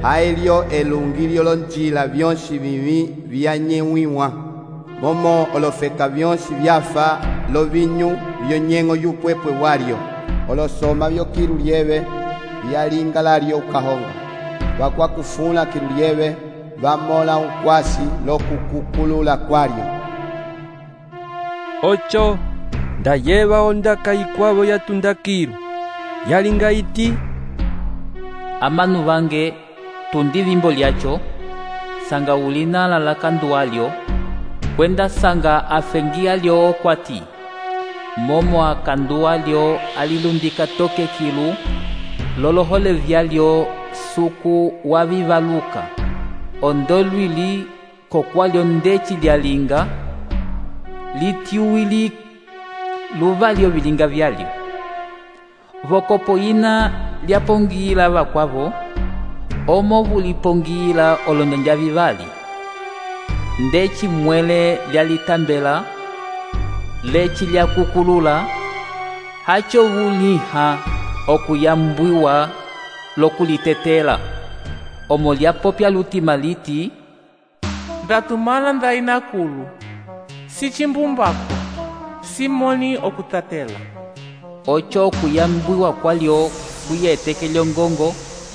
haelyo elungi lyolonjila vyonsi vivi vyanyewiwa momo olofeka vyonsi vyafa lovinyu vyonyeng'o yupwepwe walyo olosoma vyokilulieve vyalinga lalyo ukahonga vakwakufula kilulieve vamola ukwasi lokukukulula kwalyo ocho ndayeva ondaka ikwavo yatundakiru yalinga iti amanu vange tundi vimbo lyacho sanga ulinala la kandu alyo kwenda sanga afengia lyo okwati momo akandu alyo alilundika toke kilu lolohole vyalyo suku wavivaluka ondo lwili kokwalyo ndeci lyalinga litiuwili luvalyo vilinga vyalyo vokopo yina lyapongila vakwavo omo vulipongila olonjanja vivali ndeci mwele lyalitambela leci lyakukulula hacho vuliha okuyambwiwa lokulitetela omo lyapopya lutima liti ndatumana ndainakulu si chimbumbako simoni okutatela ocho okuyambwiwa kwalyo kuyeteke lyongongo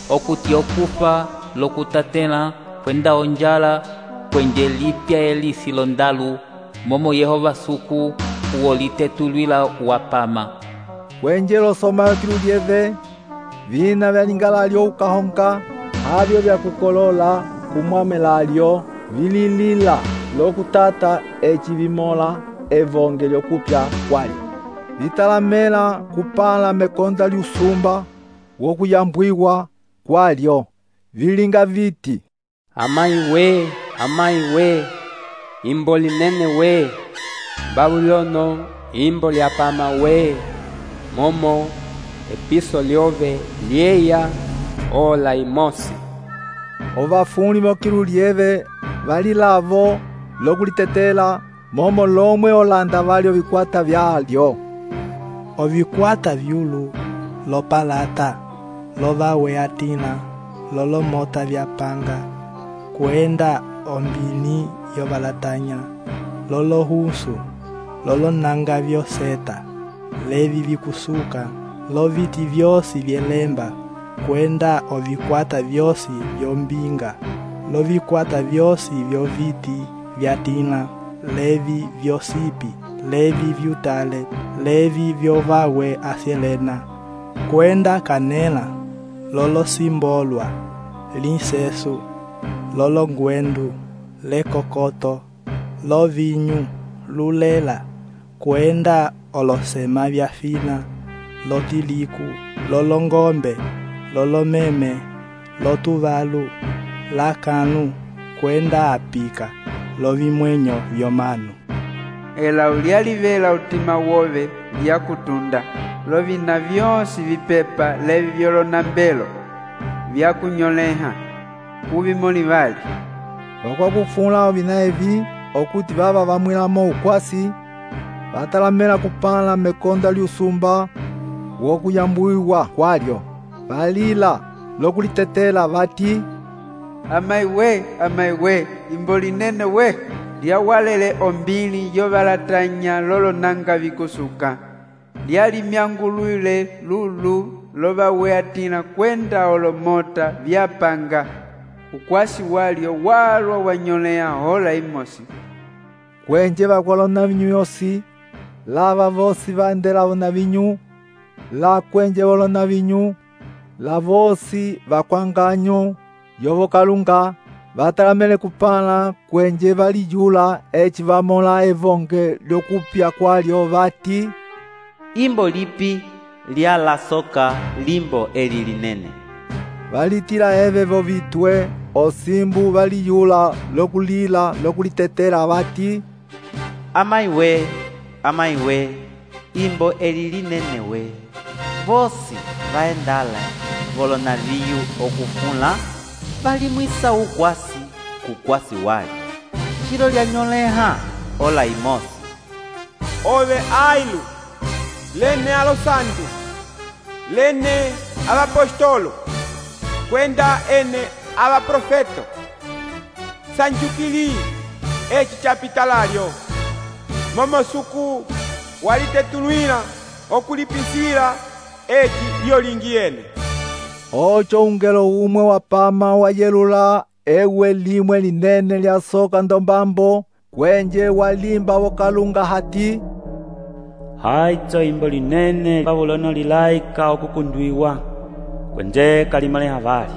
okuti okufa lokutatela kwenda onjala kwenje lipya elisi londalu momo Yehova suku uwo litetulwila wapama kwenje losomayo kilulyeve vina vyalingalalyo ukahonga havyo vyakukolola kumwamelalyo vililila lokutata eci vimola evonge lyokupya kwalyo vitalamela kupala mekonda lyusumba wokuyambwiwa kwalyo vilinga viti Amai we, amai we, imbo linene we, Babulono, imbo lyapama we, momo, episo lyove, lieya, ola imosi. Ovafuni mokilu lieve, valilavo, lokulitetela, momo lomwe olanda valyo vikwata vyalyo. Ovikwata vyulu, lopalata, lovawe atina, lolomota vyapanga, kwenda ombini yobalatanya, lolo husu, lolo nanga vyoseta, levi vikusuka, loviti vyosi vyelemba, kwenda ovikwata vyosi vyombinga, lovikwata vyosi vyoviti vyatina, levi vyosipi, levi vyutale, levi vyovawe aselena, kwenda kanela, lolo simbolwa, linsesu, lolo ngwendu, lekokoto, lo vinyu, lulela, kwenda olosema vyafina, lotiliku, lolo ngombe, lolo meme, lotuvalu, lakanu, kwenda apika, lovimwenyo vyomanu. Ela ulialivela utima wove vyakutunda, lovina vyosi vipepa levi vyolonambelo, vyakunyoleha, kuvimoni vali. Wakwakufunla ovina evi, okuti vava vamwilamo ukwasi, vatalamela kupala mekonda lyusumba, wokuyambwiwa kwalyo, valila, lokulitetela vati, amai we, amai we, imbo linene we, lyawalele ombili yobalatanya lolo nanga vikusuka, lyalimyangulwile lulu lobawe atina kwenda olomota vyapanga, ukwasi walyo walwa wanyolea hola imosi. Kwenje bakwalona vinyu yosi, lava vosi vandela na vinyu, la kwenje volona vinyu, la vosi vakwanganyo, yovo kalunga, vatalamele kupala kwenje valijula eci vamola evonge lyokupya kwalyo vati, imbo lipi lya la soka limbo eli linene. Valitila eve vovitwe, osimbu valijula lokulila lokulitetela vati, amai we, amai we, imbo eli linene we, vosi vaendala volona viyu okufunla, valimwisa ukwasi kukwasi wali, chilo lya nyoleha ola imosi. Ove ailu, lene a los santos, lene a los apostolo, kwenda ene a los profeto, sanchukili eci chapitalario, momosuku walitetulwila okulipisila eci lyolingiene. Ocho ungelo umwe wapama wayelula ewe limwe linene lya soka ndombambo, kwenje walimba wokalunga hati, haito imbo linene Babulono lilaika okukundwiwa, kwenje kalimale havali,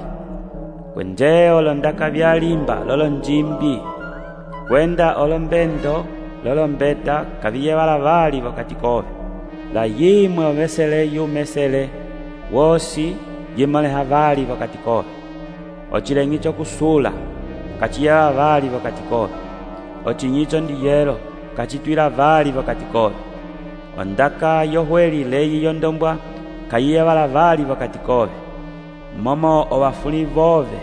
kwenje olondaka vyalimba lolo njimbi, kwenda olombendo lolo mbeta kaviye valavali wakati kove, la yimwe omesele yumesele, wosi yimaleha vali vakati kove. Ocilengico kusula kaciyeva vali vakati kove. Ocinyico ndiyelo kacitwila vali vakati kove. Ondaka yohweli leyi yondombwa kayiyevala vali vakati kove. Momo ovafuli vove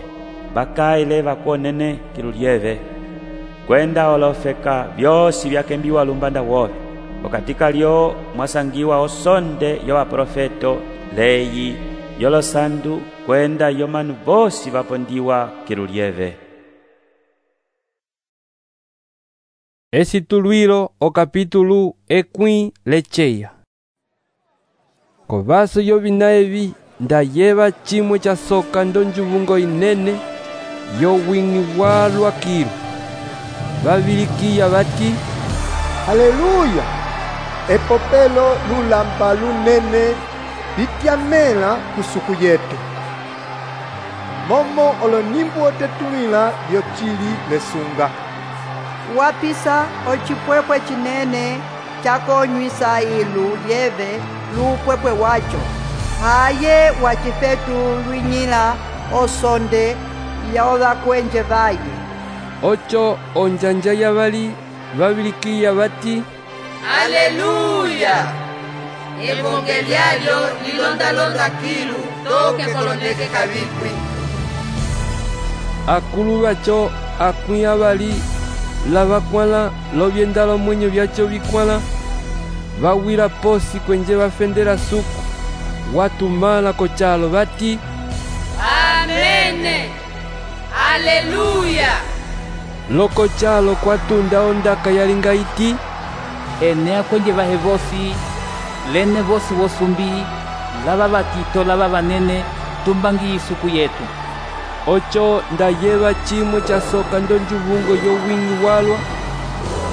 bakaile vakuonene kilulieve. Kwenda olofeka vyosi vyakembiwa lumbanda wove. Okatika lyo mwasangiwa osonde yo waprofeto leyi yolosandu kwenda yomanu vosi vapondiwa kilulieve. Esitulwilo o capítulo equi lecheia. Kovaso yovina evi ndayeva chimwe cha soka ndonjuvungo inene yo wingi walwa kilu. Vavilikiya vati Haleluya! Epopelo lulamba lunene lityamela kusuku yetu. Momo olonimbu otetulila lyocili lesunga. Wapisa ocipwepwe cinene cakonywisa ilu lyeve lupwepwe waco. Haye wacifetu lwinyila osonde ya ovakwenje vaye. Ocho onjanja ya vali vavilikiya vati Haleluya! Evangeliario lilondalonda kilu toke kolondeke kavipwi. Akulu vaco akuya vali lavakwala lovyenda lomwenyo vyaco vikwala vawila posi kwenje vafendela suku watumala kocalo vati Amene! Haleluya! Loko chalo kwatunda ondaka yalinga iti enea kwenye vahe vosi lene vosi vosumbi lava vatito lava vanene tumbangi isuku yetu. Ocho ndayeva chimwe cha soka ndonjuvungo yo wingi walwa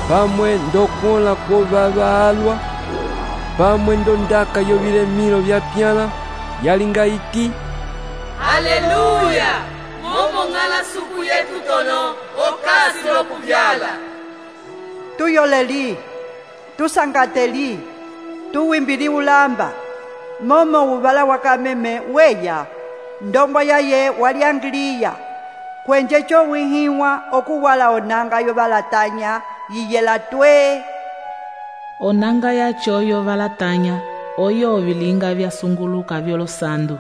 pamwe ndokola ko vava alwa pamwe ndondaka yo vilemilo vya pyala yalinga iti Haleluya! Momo ngala suku yetu tono okasi lokuvyala. Tuyoleli, tusangateli, tuwimbili ulamba. Momo uvala wakameme weya, ndombo yaye waliangiliya. Kwenje cho wihiwa okuwala onanga yovalatanya yiyela twe. Onanga yacho yovalatanya oyo ovilinga vyasunguluka vyolosandu.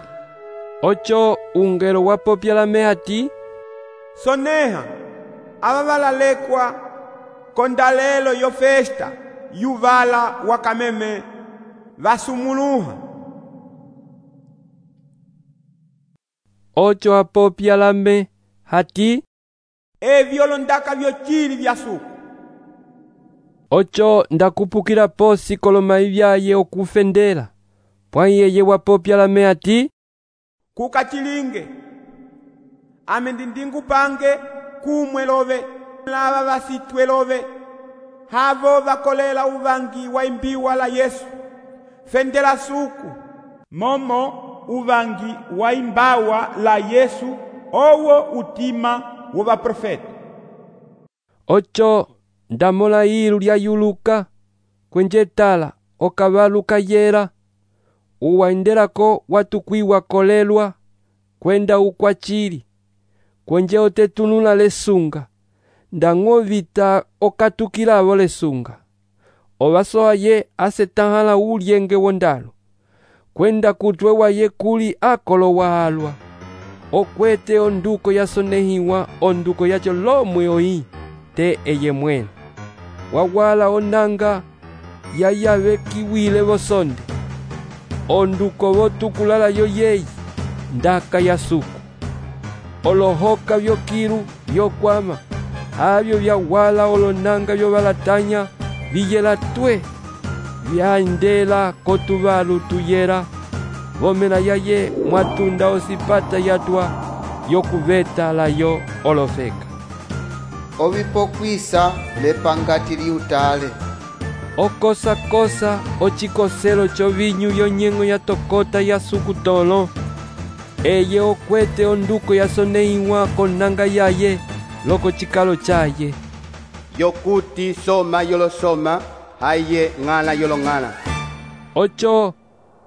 Ocho ungelo wapopyala mehati Soneha ava valalekwa kondalelo yo festa yuvala wakameme vasumuluha. Ocho apopyala me hati evyo londaka vyocili vya suku. Ocho ndakupukila posi kolomai vyaye okufendela pwanyeye wapopyala me hati kukachilinge amendindingu pange kumwe love lava vasitwe love havo vakolela uvangi wa imbiwa la Yesu fendela suku momo uvangi wa imbawa la Yesu owo utima wo vaprofeta. Ocho ndamola ilu lya yuluka kwenje tala okavalu kayera uwaindelako watukwiwa kolelwa kwenda ukwachili kwenje otetunula lesunga ndang'ovita okatukilavo lesunga ovasoa ye asetahala ulyenge wondalo kwenda kutwe waye kuli akolo waalwa okwete onduko yasonehiwa onduko yacho lomwe oyi te eye mwene wawala onanga yayave kiwile vosonde onduko votukulala yo yeyi ndaka ya suku olohoka vyokilu vyokwama havyo vyawala olonanga vyovalatanya viyela twe vyaendela kotuvalu tuyera vomela yaye mwatunda osipata yatwa yokuveta layo olofeka ovipokwisa lepangati liutale okosa-kosa ocikoselo chovinyu yonyeng'o yatokota ya suku tolo eye okwete onduko yasonehiwa konanga yaye loko cikalo caye yokuti soma yolosoma haye ng'ala yolong'ala. Ocho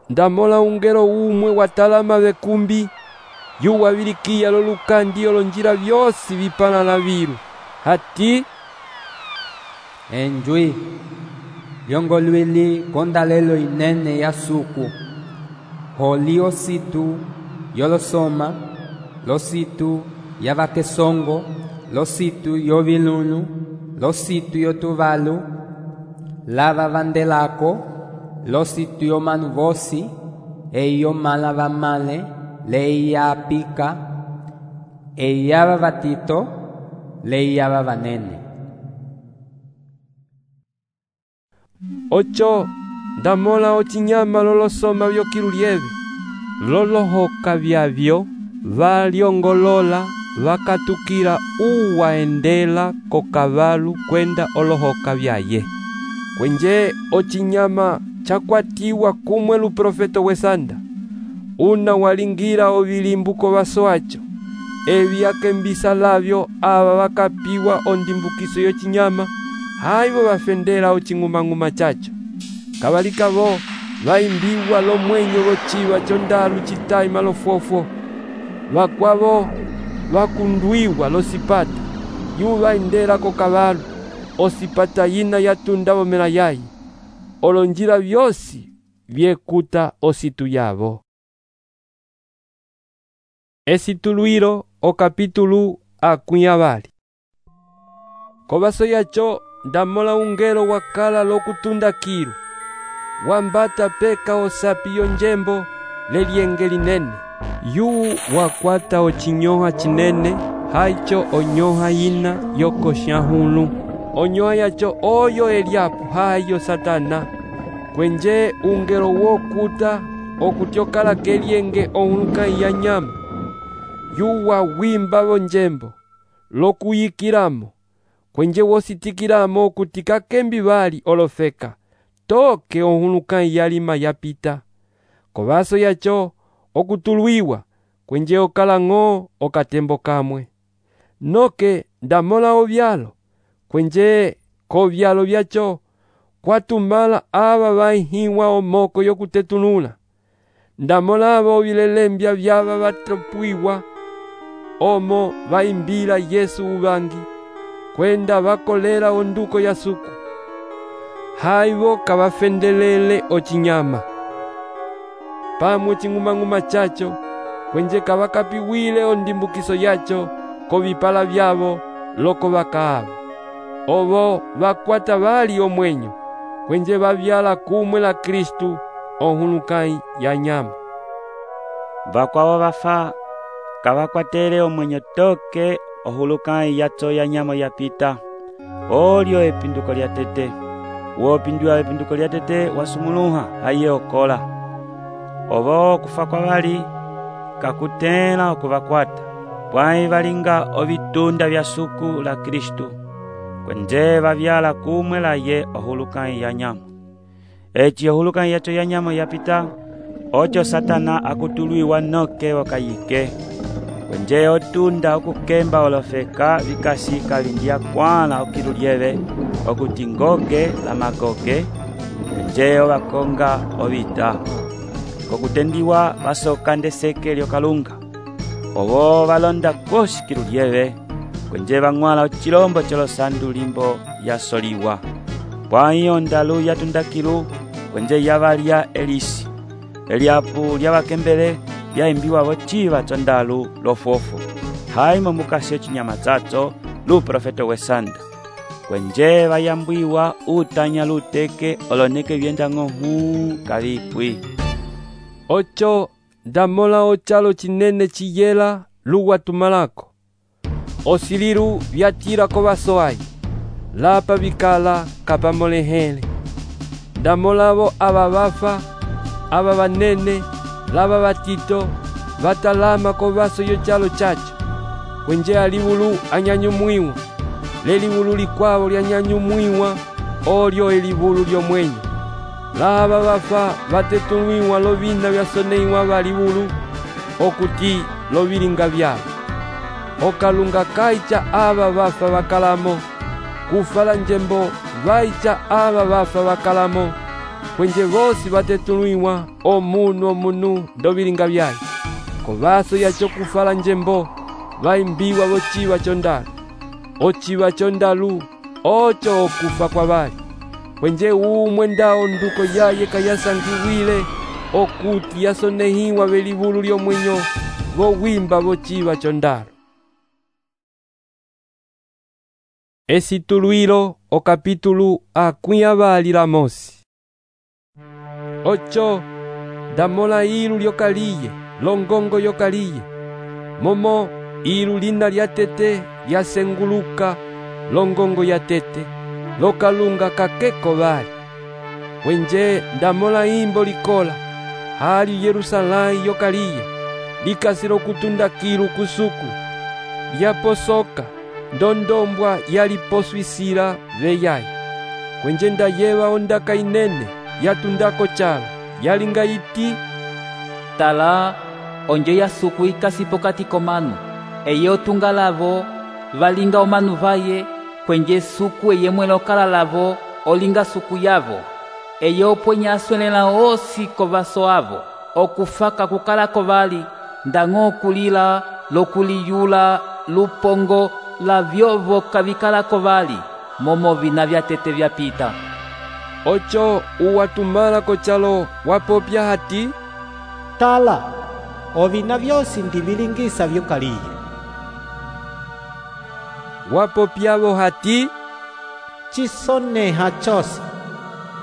ndamola ungelo umwe watalama vekumbi yuwavilikiya lolukandi olonjila vyosi vipalala vilu hati enjwi lyongolwili kondalelo inene ya suku holi ositu yolosoma lositu yavakesongo lositu yovilunu lositu yotuvalu lava vandelako lositu yomanu vosi eyo mala vamale leia apika eyava vatito leiyava vanene. Ocho ndamola ochinyama lolosoma vyokilu lyeve lolohoka vyavyo valyongolola vakatukila uwaendela kokavalu kwenda olohoka vyaye. Kwenje ochinyama chakwatiwa kumwe luprofeto wesanda una walingira ovilimbuko vaso acho evi akembisa lavyo ava vakapiwa ondimbukiso yochinyama haivo vafendela oching'umang'uma chacho kavalika vo vaimbiwa lomwenyo lochiva chondalu chitayi malofofo vakwavo vakundwiwa losipata yu vaendela kokavalu osipata yina yatunda vomela yayi olonjila vyosi vyekuta ositu yavo. Esituluiro o kapitulu akunyavali. Kovaso yacho ndamola ungelo wakala lokutunda kilu wambata peka osapi yonjembo lelienge linene yu wakwata ochinyoha chinene haicho onyoha yina yokoshahulu onyoha yacho oyo Eliapo hayo Satana kwenje ungelo wokuta okutyokala kelienge ohuluka ya nyama yuwa wimba vonjembo lokuyikilamo kwenje wositikilamo okutika kembi vali olofeka toke ohuluka yalima yapita kovaso yacho okutulwiwa kwenje okalang'o okatembo kamwe noke ndamola ovyalo kwenje kovyalo vyacho kwatumala ava vaihiwa omoko yokutetunula ndamola ava ovilelembya vyava vatopuiwa omo vaimbila Yesu uvangi kwenda vakolela onduko ya suku haivo kavafendelele ochinyama pamwe ching'umang'uma chacho kwenje kavakapiwile ondimbukiso yacho kovipala vyavo loko vakaava ovo vakwata vali omwenyo kwenje vavyala kumwe la Kristu ohulukai ya nyama vakwavo vafa kavakwatele omwenyo toke ohulukai yacho ya nyama yapita olyo epinduko lya tete wopindua epinduko lya tete wasumuluha haye okola ovo kufa kwa vali kakutela okuvakwata pwai valinga ovitunda vya suku la Kristu kwenje vavyala kumwe la ye ohulukai ya nyama echi ohulukai yacho ya nyama yapita ocho Satana akutulwiwa noke wakayike kwenje otunda okukemba olofeka vikasika vindia kwana okilu lyeve okutingoge la magoge kwenje ovakonga ovita kokutendiwa vasoka ndeseke lyokalunga ovo valonda kosi kilu lyeve kwenje vang'wala ochilombo cholosandu limbo yasoliwa pwai ondalu yatunda kilu kwenje yavalya elisi Eliapo lyavakembele vyaimbiwa vochiva chondalu lofofo haimo mukasi ochinyama chacho luprofeto wesanda kwenje vayambwiwa utanya luteke oloneke vyenda ng'ohu kavipwi. Ocho ndamola ochalo chinene chiyela luwatumalako osililu vyatira kovasoai lapa vikala kapamolehele ndamolavo ava vafa ava vanene lava vatito vatalama kovaso yochalo chacho kwenje alivulu anyanyumwiwa lelivulu likwavo lyanyanyumwiwa olyo elivulu lyomwenyo lava vafa vatetulwiwa lovina vyasoneiwa valivulu okuti lovilinga vyavo okalunga kaicha ava vafa vakalamo kufala njembo vaicha ava vafa vakalamo kwenje vosi vatetulwiwa omunu omunu ndovilinga vyaye. Kovaso yacho kufala njembo vaimbiwa vociva chondalu. Ociva chondalu ocho okufa kwa vali. Kwenje umwe ndao nduko yaye kayasangiwile okuti yasonehiwa velivulu lyomwenyo vowimba vociva chondalu. Esitulwilo o capítulo akwi avali la mosi. Ocho damola ilu lyokaliye longongo yokaliye momo ilu lina lya tete lyasenguluka longongo ya tete lokalunga kakeko vali. Wenje ndamola imbo likola hali Yerusalai yokaliye likasilo kutundakilu kusuku lyaposoka ndondombwa yaliposwisila veyayi. Kwenje ndayeva ondaka inene yatundako chalo yalinga iti tala onjo ya suku ikasi pokati komanu eye otunga lavo valinga omanu vaye kwenje suku eye mwelo okala lavo olinga suku yavo eye opwenya aswelela osi kovaso avo okufaka kukalako vali ndang'o okulila lokuliyula lupongo la vyovo kavikalako vali momo vina vya tete vyapita. Ocho uwatumala kochalo wapopya hati tala ovina vyosi ndivilingisa vyokaliye. Wapopyavo hati chisoneha chose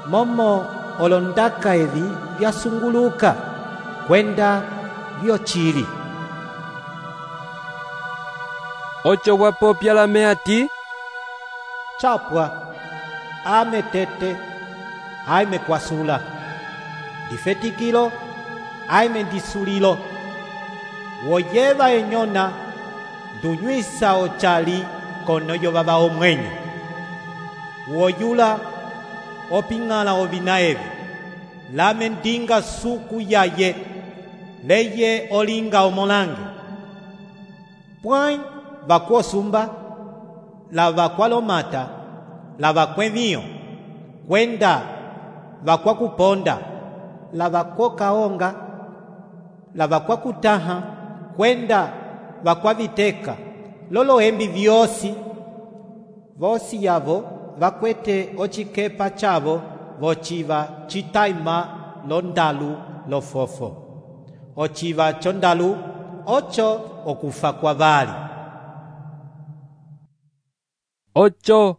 momo olondaka evi vyasunguluka kwenda vyochili. Ocho wapopya lame hati chapwa ame tete aime kwasula difetikilo aime disulilo woyeva enyona dunywisa ochali konoyo baba omwenyo woyula opingala ovina evi lame ndinga suku yaye leye olinga omolange pwai vakuosumba la vakualomata la vakwevio kwenda vakwakuponda la vakwokaonga la vakwakutaha kwenda vakwaviteka lolo embi vyosi vosi yavo vakwete ochikepa chavo vociva chitaima londalu lofofo ociva chondalu ocho okufa kwa vali. Ocho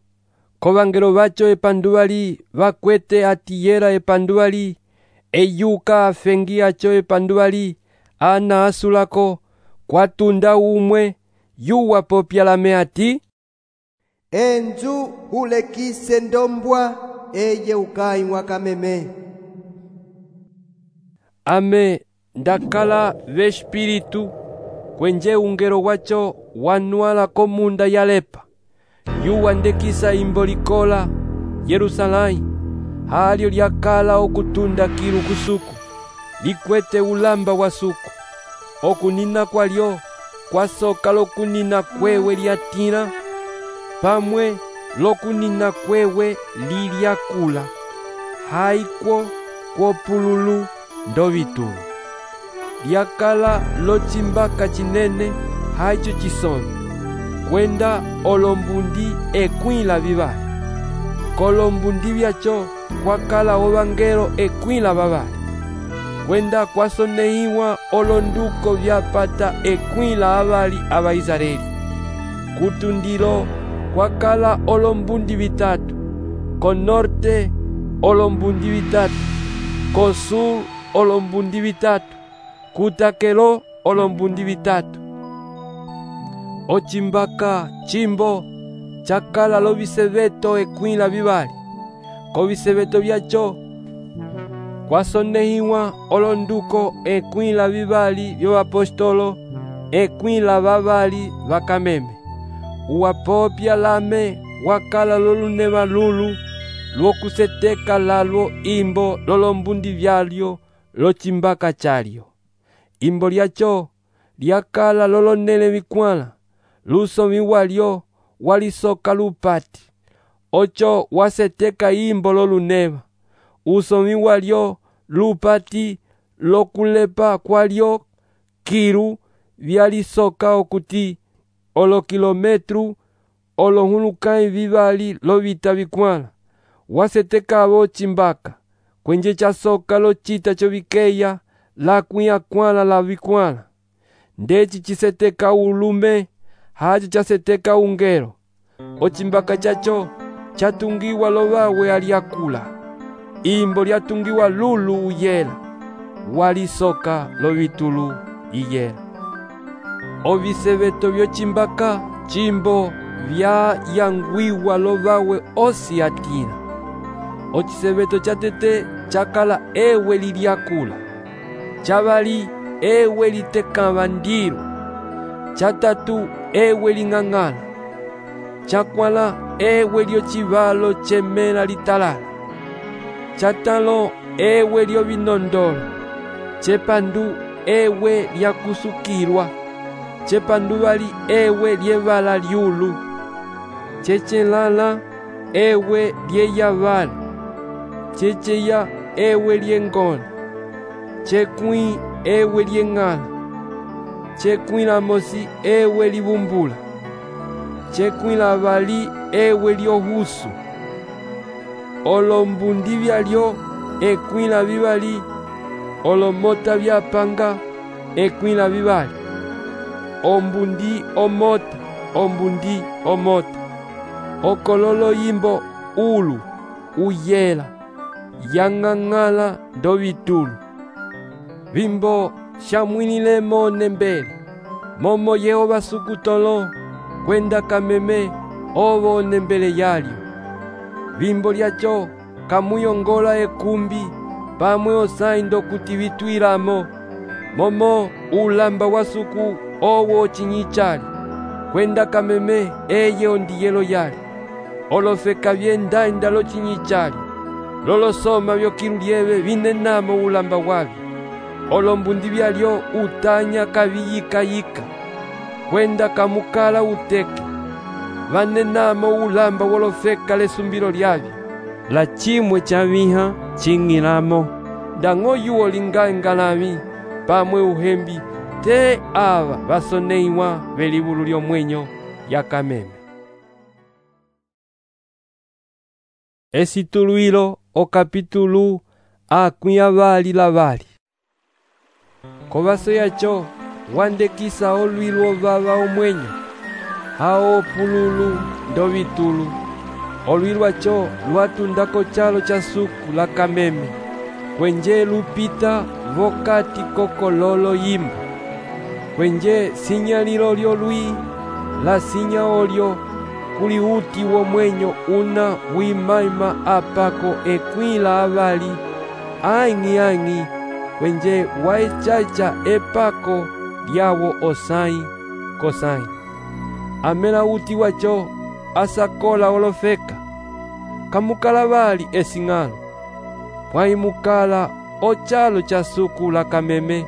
kovangelo vacho epanduvali vakwete atiyera epanduvali eyuka afengi acho epanduvali ana asulako kwatunda umwe yuwa popya lame ati enzu hulekise ndombwa eye ukai wakameme. Ame ndakala vespiritu kwenje ungelo wacho wanwala komunda yalepa yuwa ndekisa imbo likola Yerusalai halyo lyakala okutunda kilu kusuku likwete ulamba wa suku okunina kwalyo kwasoka lokunina kwewe lyatila pamwe lokunina kwewe lilyakula haikwo kwopululu ndovitulu lyakala lochimbaka chinene haicho chisoni kwenda olombundi ekwila vivali kolombundi vyacho kwakala ovangelo ekwila vavali kwenda kwasonehiwa olonduko vyapata ekwila avali ava Israeli kutundilo kwakala olombundi vitatu konorte olombundi vitatu kosur olombundi vitatu kutakelo olombundi vitatu ochimbaka chimbo chakala loviseveto ekwila vivali koviseveto vyacho kwasonehiwa olonduko ekwila vivali vyovapostolo ekwila vavali vakameme uwapopya lame wakala loluneva lulu lwokuseteka lalwo imbo lolombundi vyalyo lochimbaka chalyo imbo lyacho lyakala lolonele vikwala lusomi walyo walisoka lupati ocho waseteka imbo loluneva usomi walyo lupati lokulepa kwalyo kilu vyalisoka okuti olo kilometru olo hulukai vivali lovita vikwala wasetekavo chimbaka kwenje chasoka lo chita chovikeya la kwiakwala la vikwala ndeci chiseteka ulume hacho chaseteka ungelo ochimbaka chacho chatungiwa lovawe aliakula imbo lyatungiwa lulu uyela walisoka lovitulu iyela oviseveto vyochimbaka chimbo vyayangwiwa lovawe osi atina ociseveto chatete chakala ewe liliakula chavali ewe litekava ndilu chatatu ewe ling'ang'ala chakwala ewe lyochivalo chemela litalala chatalo ewe lyovinondolo chepandu ewe lyakusukilwa chepandu vali ewe lyevala lyulu chechelala ewe lyeyavala checheya ewe lyengona chekwi ewe lyeng'ala chekwila-mosi ewe livumbula chekwila vali ewe lyohusu olombundi vyalyo ekwila vivali olomota vyapanga ekwila vivali ombundi omota ombundi omota okololo yimbo ulu uyela yang'ang'ala ndovitulu vimbo shamwinilemo nembele momo Yehova sukutolo kwenda kameme ovo nembele yalyo vimbo lyacho kamuyongola ekumbi pamwe osaindo kuti vitwilamo momo ulamba wa suku owo chinyichali kwenda kameme eye ondiyelo yali olofeka vyendainda lo chinyichali lolosoma vyokilu lyeve vinenamo ulamba wavyo olombundi vyalyo utanya kaviyikayika kwenda kamukala uteke vanenamo ulamba wolofeka lesumbilo lyavyo la chimwe chaviha ching'ilamo ndang'oyuwo lingaengalavi pamwe uhembi te ava vasoneiwa velivulu lyomwenyo yakameme. Esituluilo o kapitulu akwiyavali lavali kovaso yacho wandekisa olwilu ovava omwenyo hao pululu ndovitulu olwilu acho lwatundako chalo cha suku la kameme kwenje lupita vokati kokololo yimbo kwenje sinyalilo lyolwi la sinya olyo kuli uti womwenyo una wimaima apako ekwila avali aingi aingi kwenje waechacha epako lyawo osai kosai amela uti wacho asakola olofeka kamukala vali esing'alo pwaimukala ochalo cha suku la kameme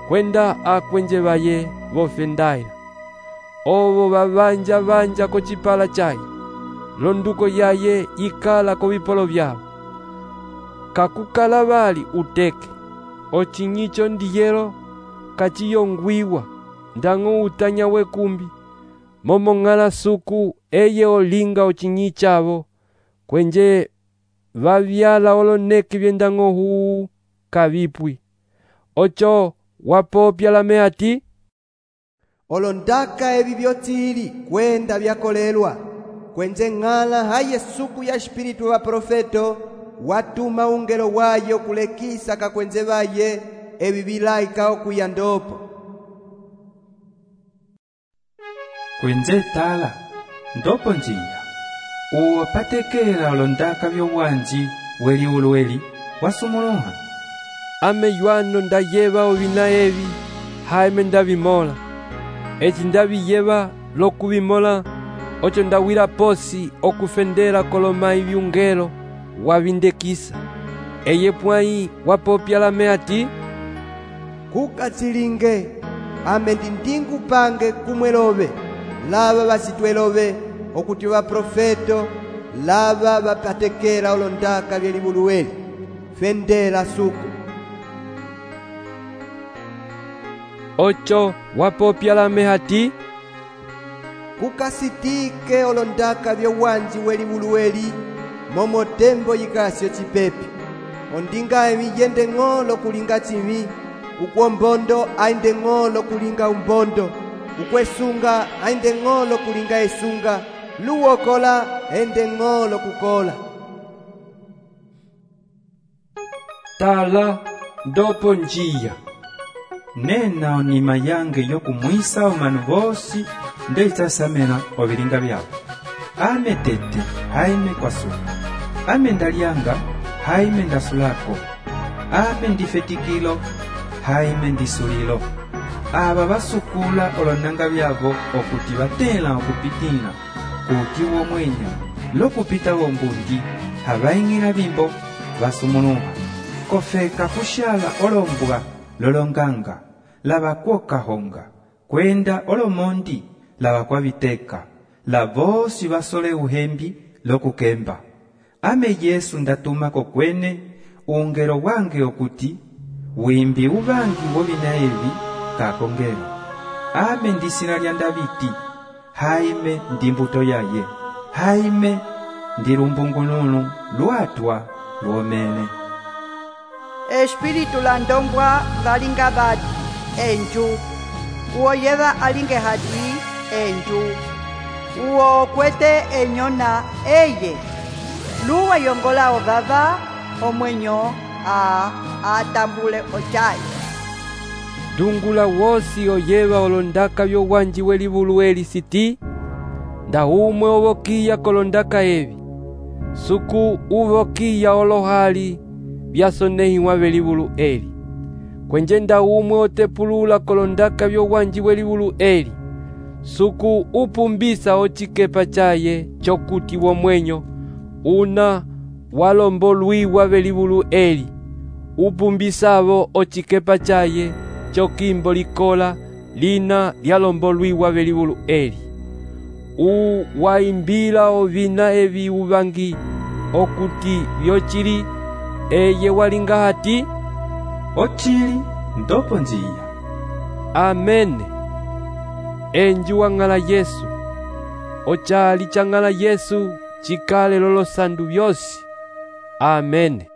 kwenda akwenje vaye vofendaila ovo vavanja vanja ko chipala chayi londuko yaye ikala ko vipolo vyavo kakukala vali uteke ochinyicho ndiyelo kachiyongwiwa ndang'o utanya wekumbi momo ng'ala suku eye olinga ochinyichavo kwenje vavyala oloneki vyendang'o huu kavipwi ocho wapopya lame ati olondaka evi vyotili kwenda vyakolelwa kwenje ng'ala haye suku ya espiritu wa profeto watuma ungelo wayo kulekisa kakwenze vaye evi vilaika okuya ndopo kwenze tala ndopo njiya uwo patekela olondaka vyowanji weli ulweli wasumuluha ame yuano ndayeva ovina evi haime ndavimola eci ndaviyeva lokuvimola ocho ndawira posi okufendela kolomai vyungelo wavindekisa eye pwai wapopya lame ati kukatsilinge ame ndindingu pange kumwelove lava vasitwelove okuti vaprofeto lava vapatekela olondaka vyelivuluweli fendela suku. Ocho wapopya lame hati kukasitike olondaka vyowanji welivuluweli momo tembo yikasyo chipepi. Ondinga emi yende ng'olo kulinga chimi, ukwombondo ainde ng'olo kulinga umbondo, ukwesunga ainde ng'olo kulinga esunga, luwokola ende ng'olo kukola. Tala ndopo njiya nena onima yange yokumwisa omanu bosi ndeitasamena ovilinga vyabo. Ame tete haime kwasuka, ame ndalyanga haime ndasulako, ame ndifetikilo haime ndisulilo. Aba basukula olonanga byabo okuti batela okupitila kuti womwenya lokupita wombundi habaingila bimbo basumunuha kofeka kushala olombwa lolonganga labakwoka honga kwenda olomondi labakwabiteka labosi basole uhembi lokukemba. Ame Yesu ndatuma kokwene ungero wange okuti wimbi ubangi wobina evi kakongero. Ame ndisina lya Daviti haime ndimbuto yaye, haime ndilumbungununu lwatwa lwomene. Espiritu la ndombwa valinga bati enju, uo yeva alinge hati enju, uo kwete enyona eye, luwa yongola ovava omwenyo a atambule ochayi. Dungula wosi oyeva olondaka vyowanji welivuluweli siti nda umwe ovokiya kolondaka evi suku uvokiya olohali vyasonehiwa velivulu eli kwenje nda umwe otepulula kolondaka vyowanji welivulu eli suku upumbisa ochikepa chaye chokuti womwenyo una walombolwiwa velivulu eli upumbisavo ochikepa chaye chokimbo likola lina lyalombolwiwa velivulu eli u waimbila ovina evi uvangi okuti vyochili eye walinga hati ochili ndopo njiya. Amene. Enju wang'ala Yesu ochali chang'ala Yesu chikale lolo sandu vyosi. Amene.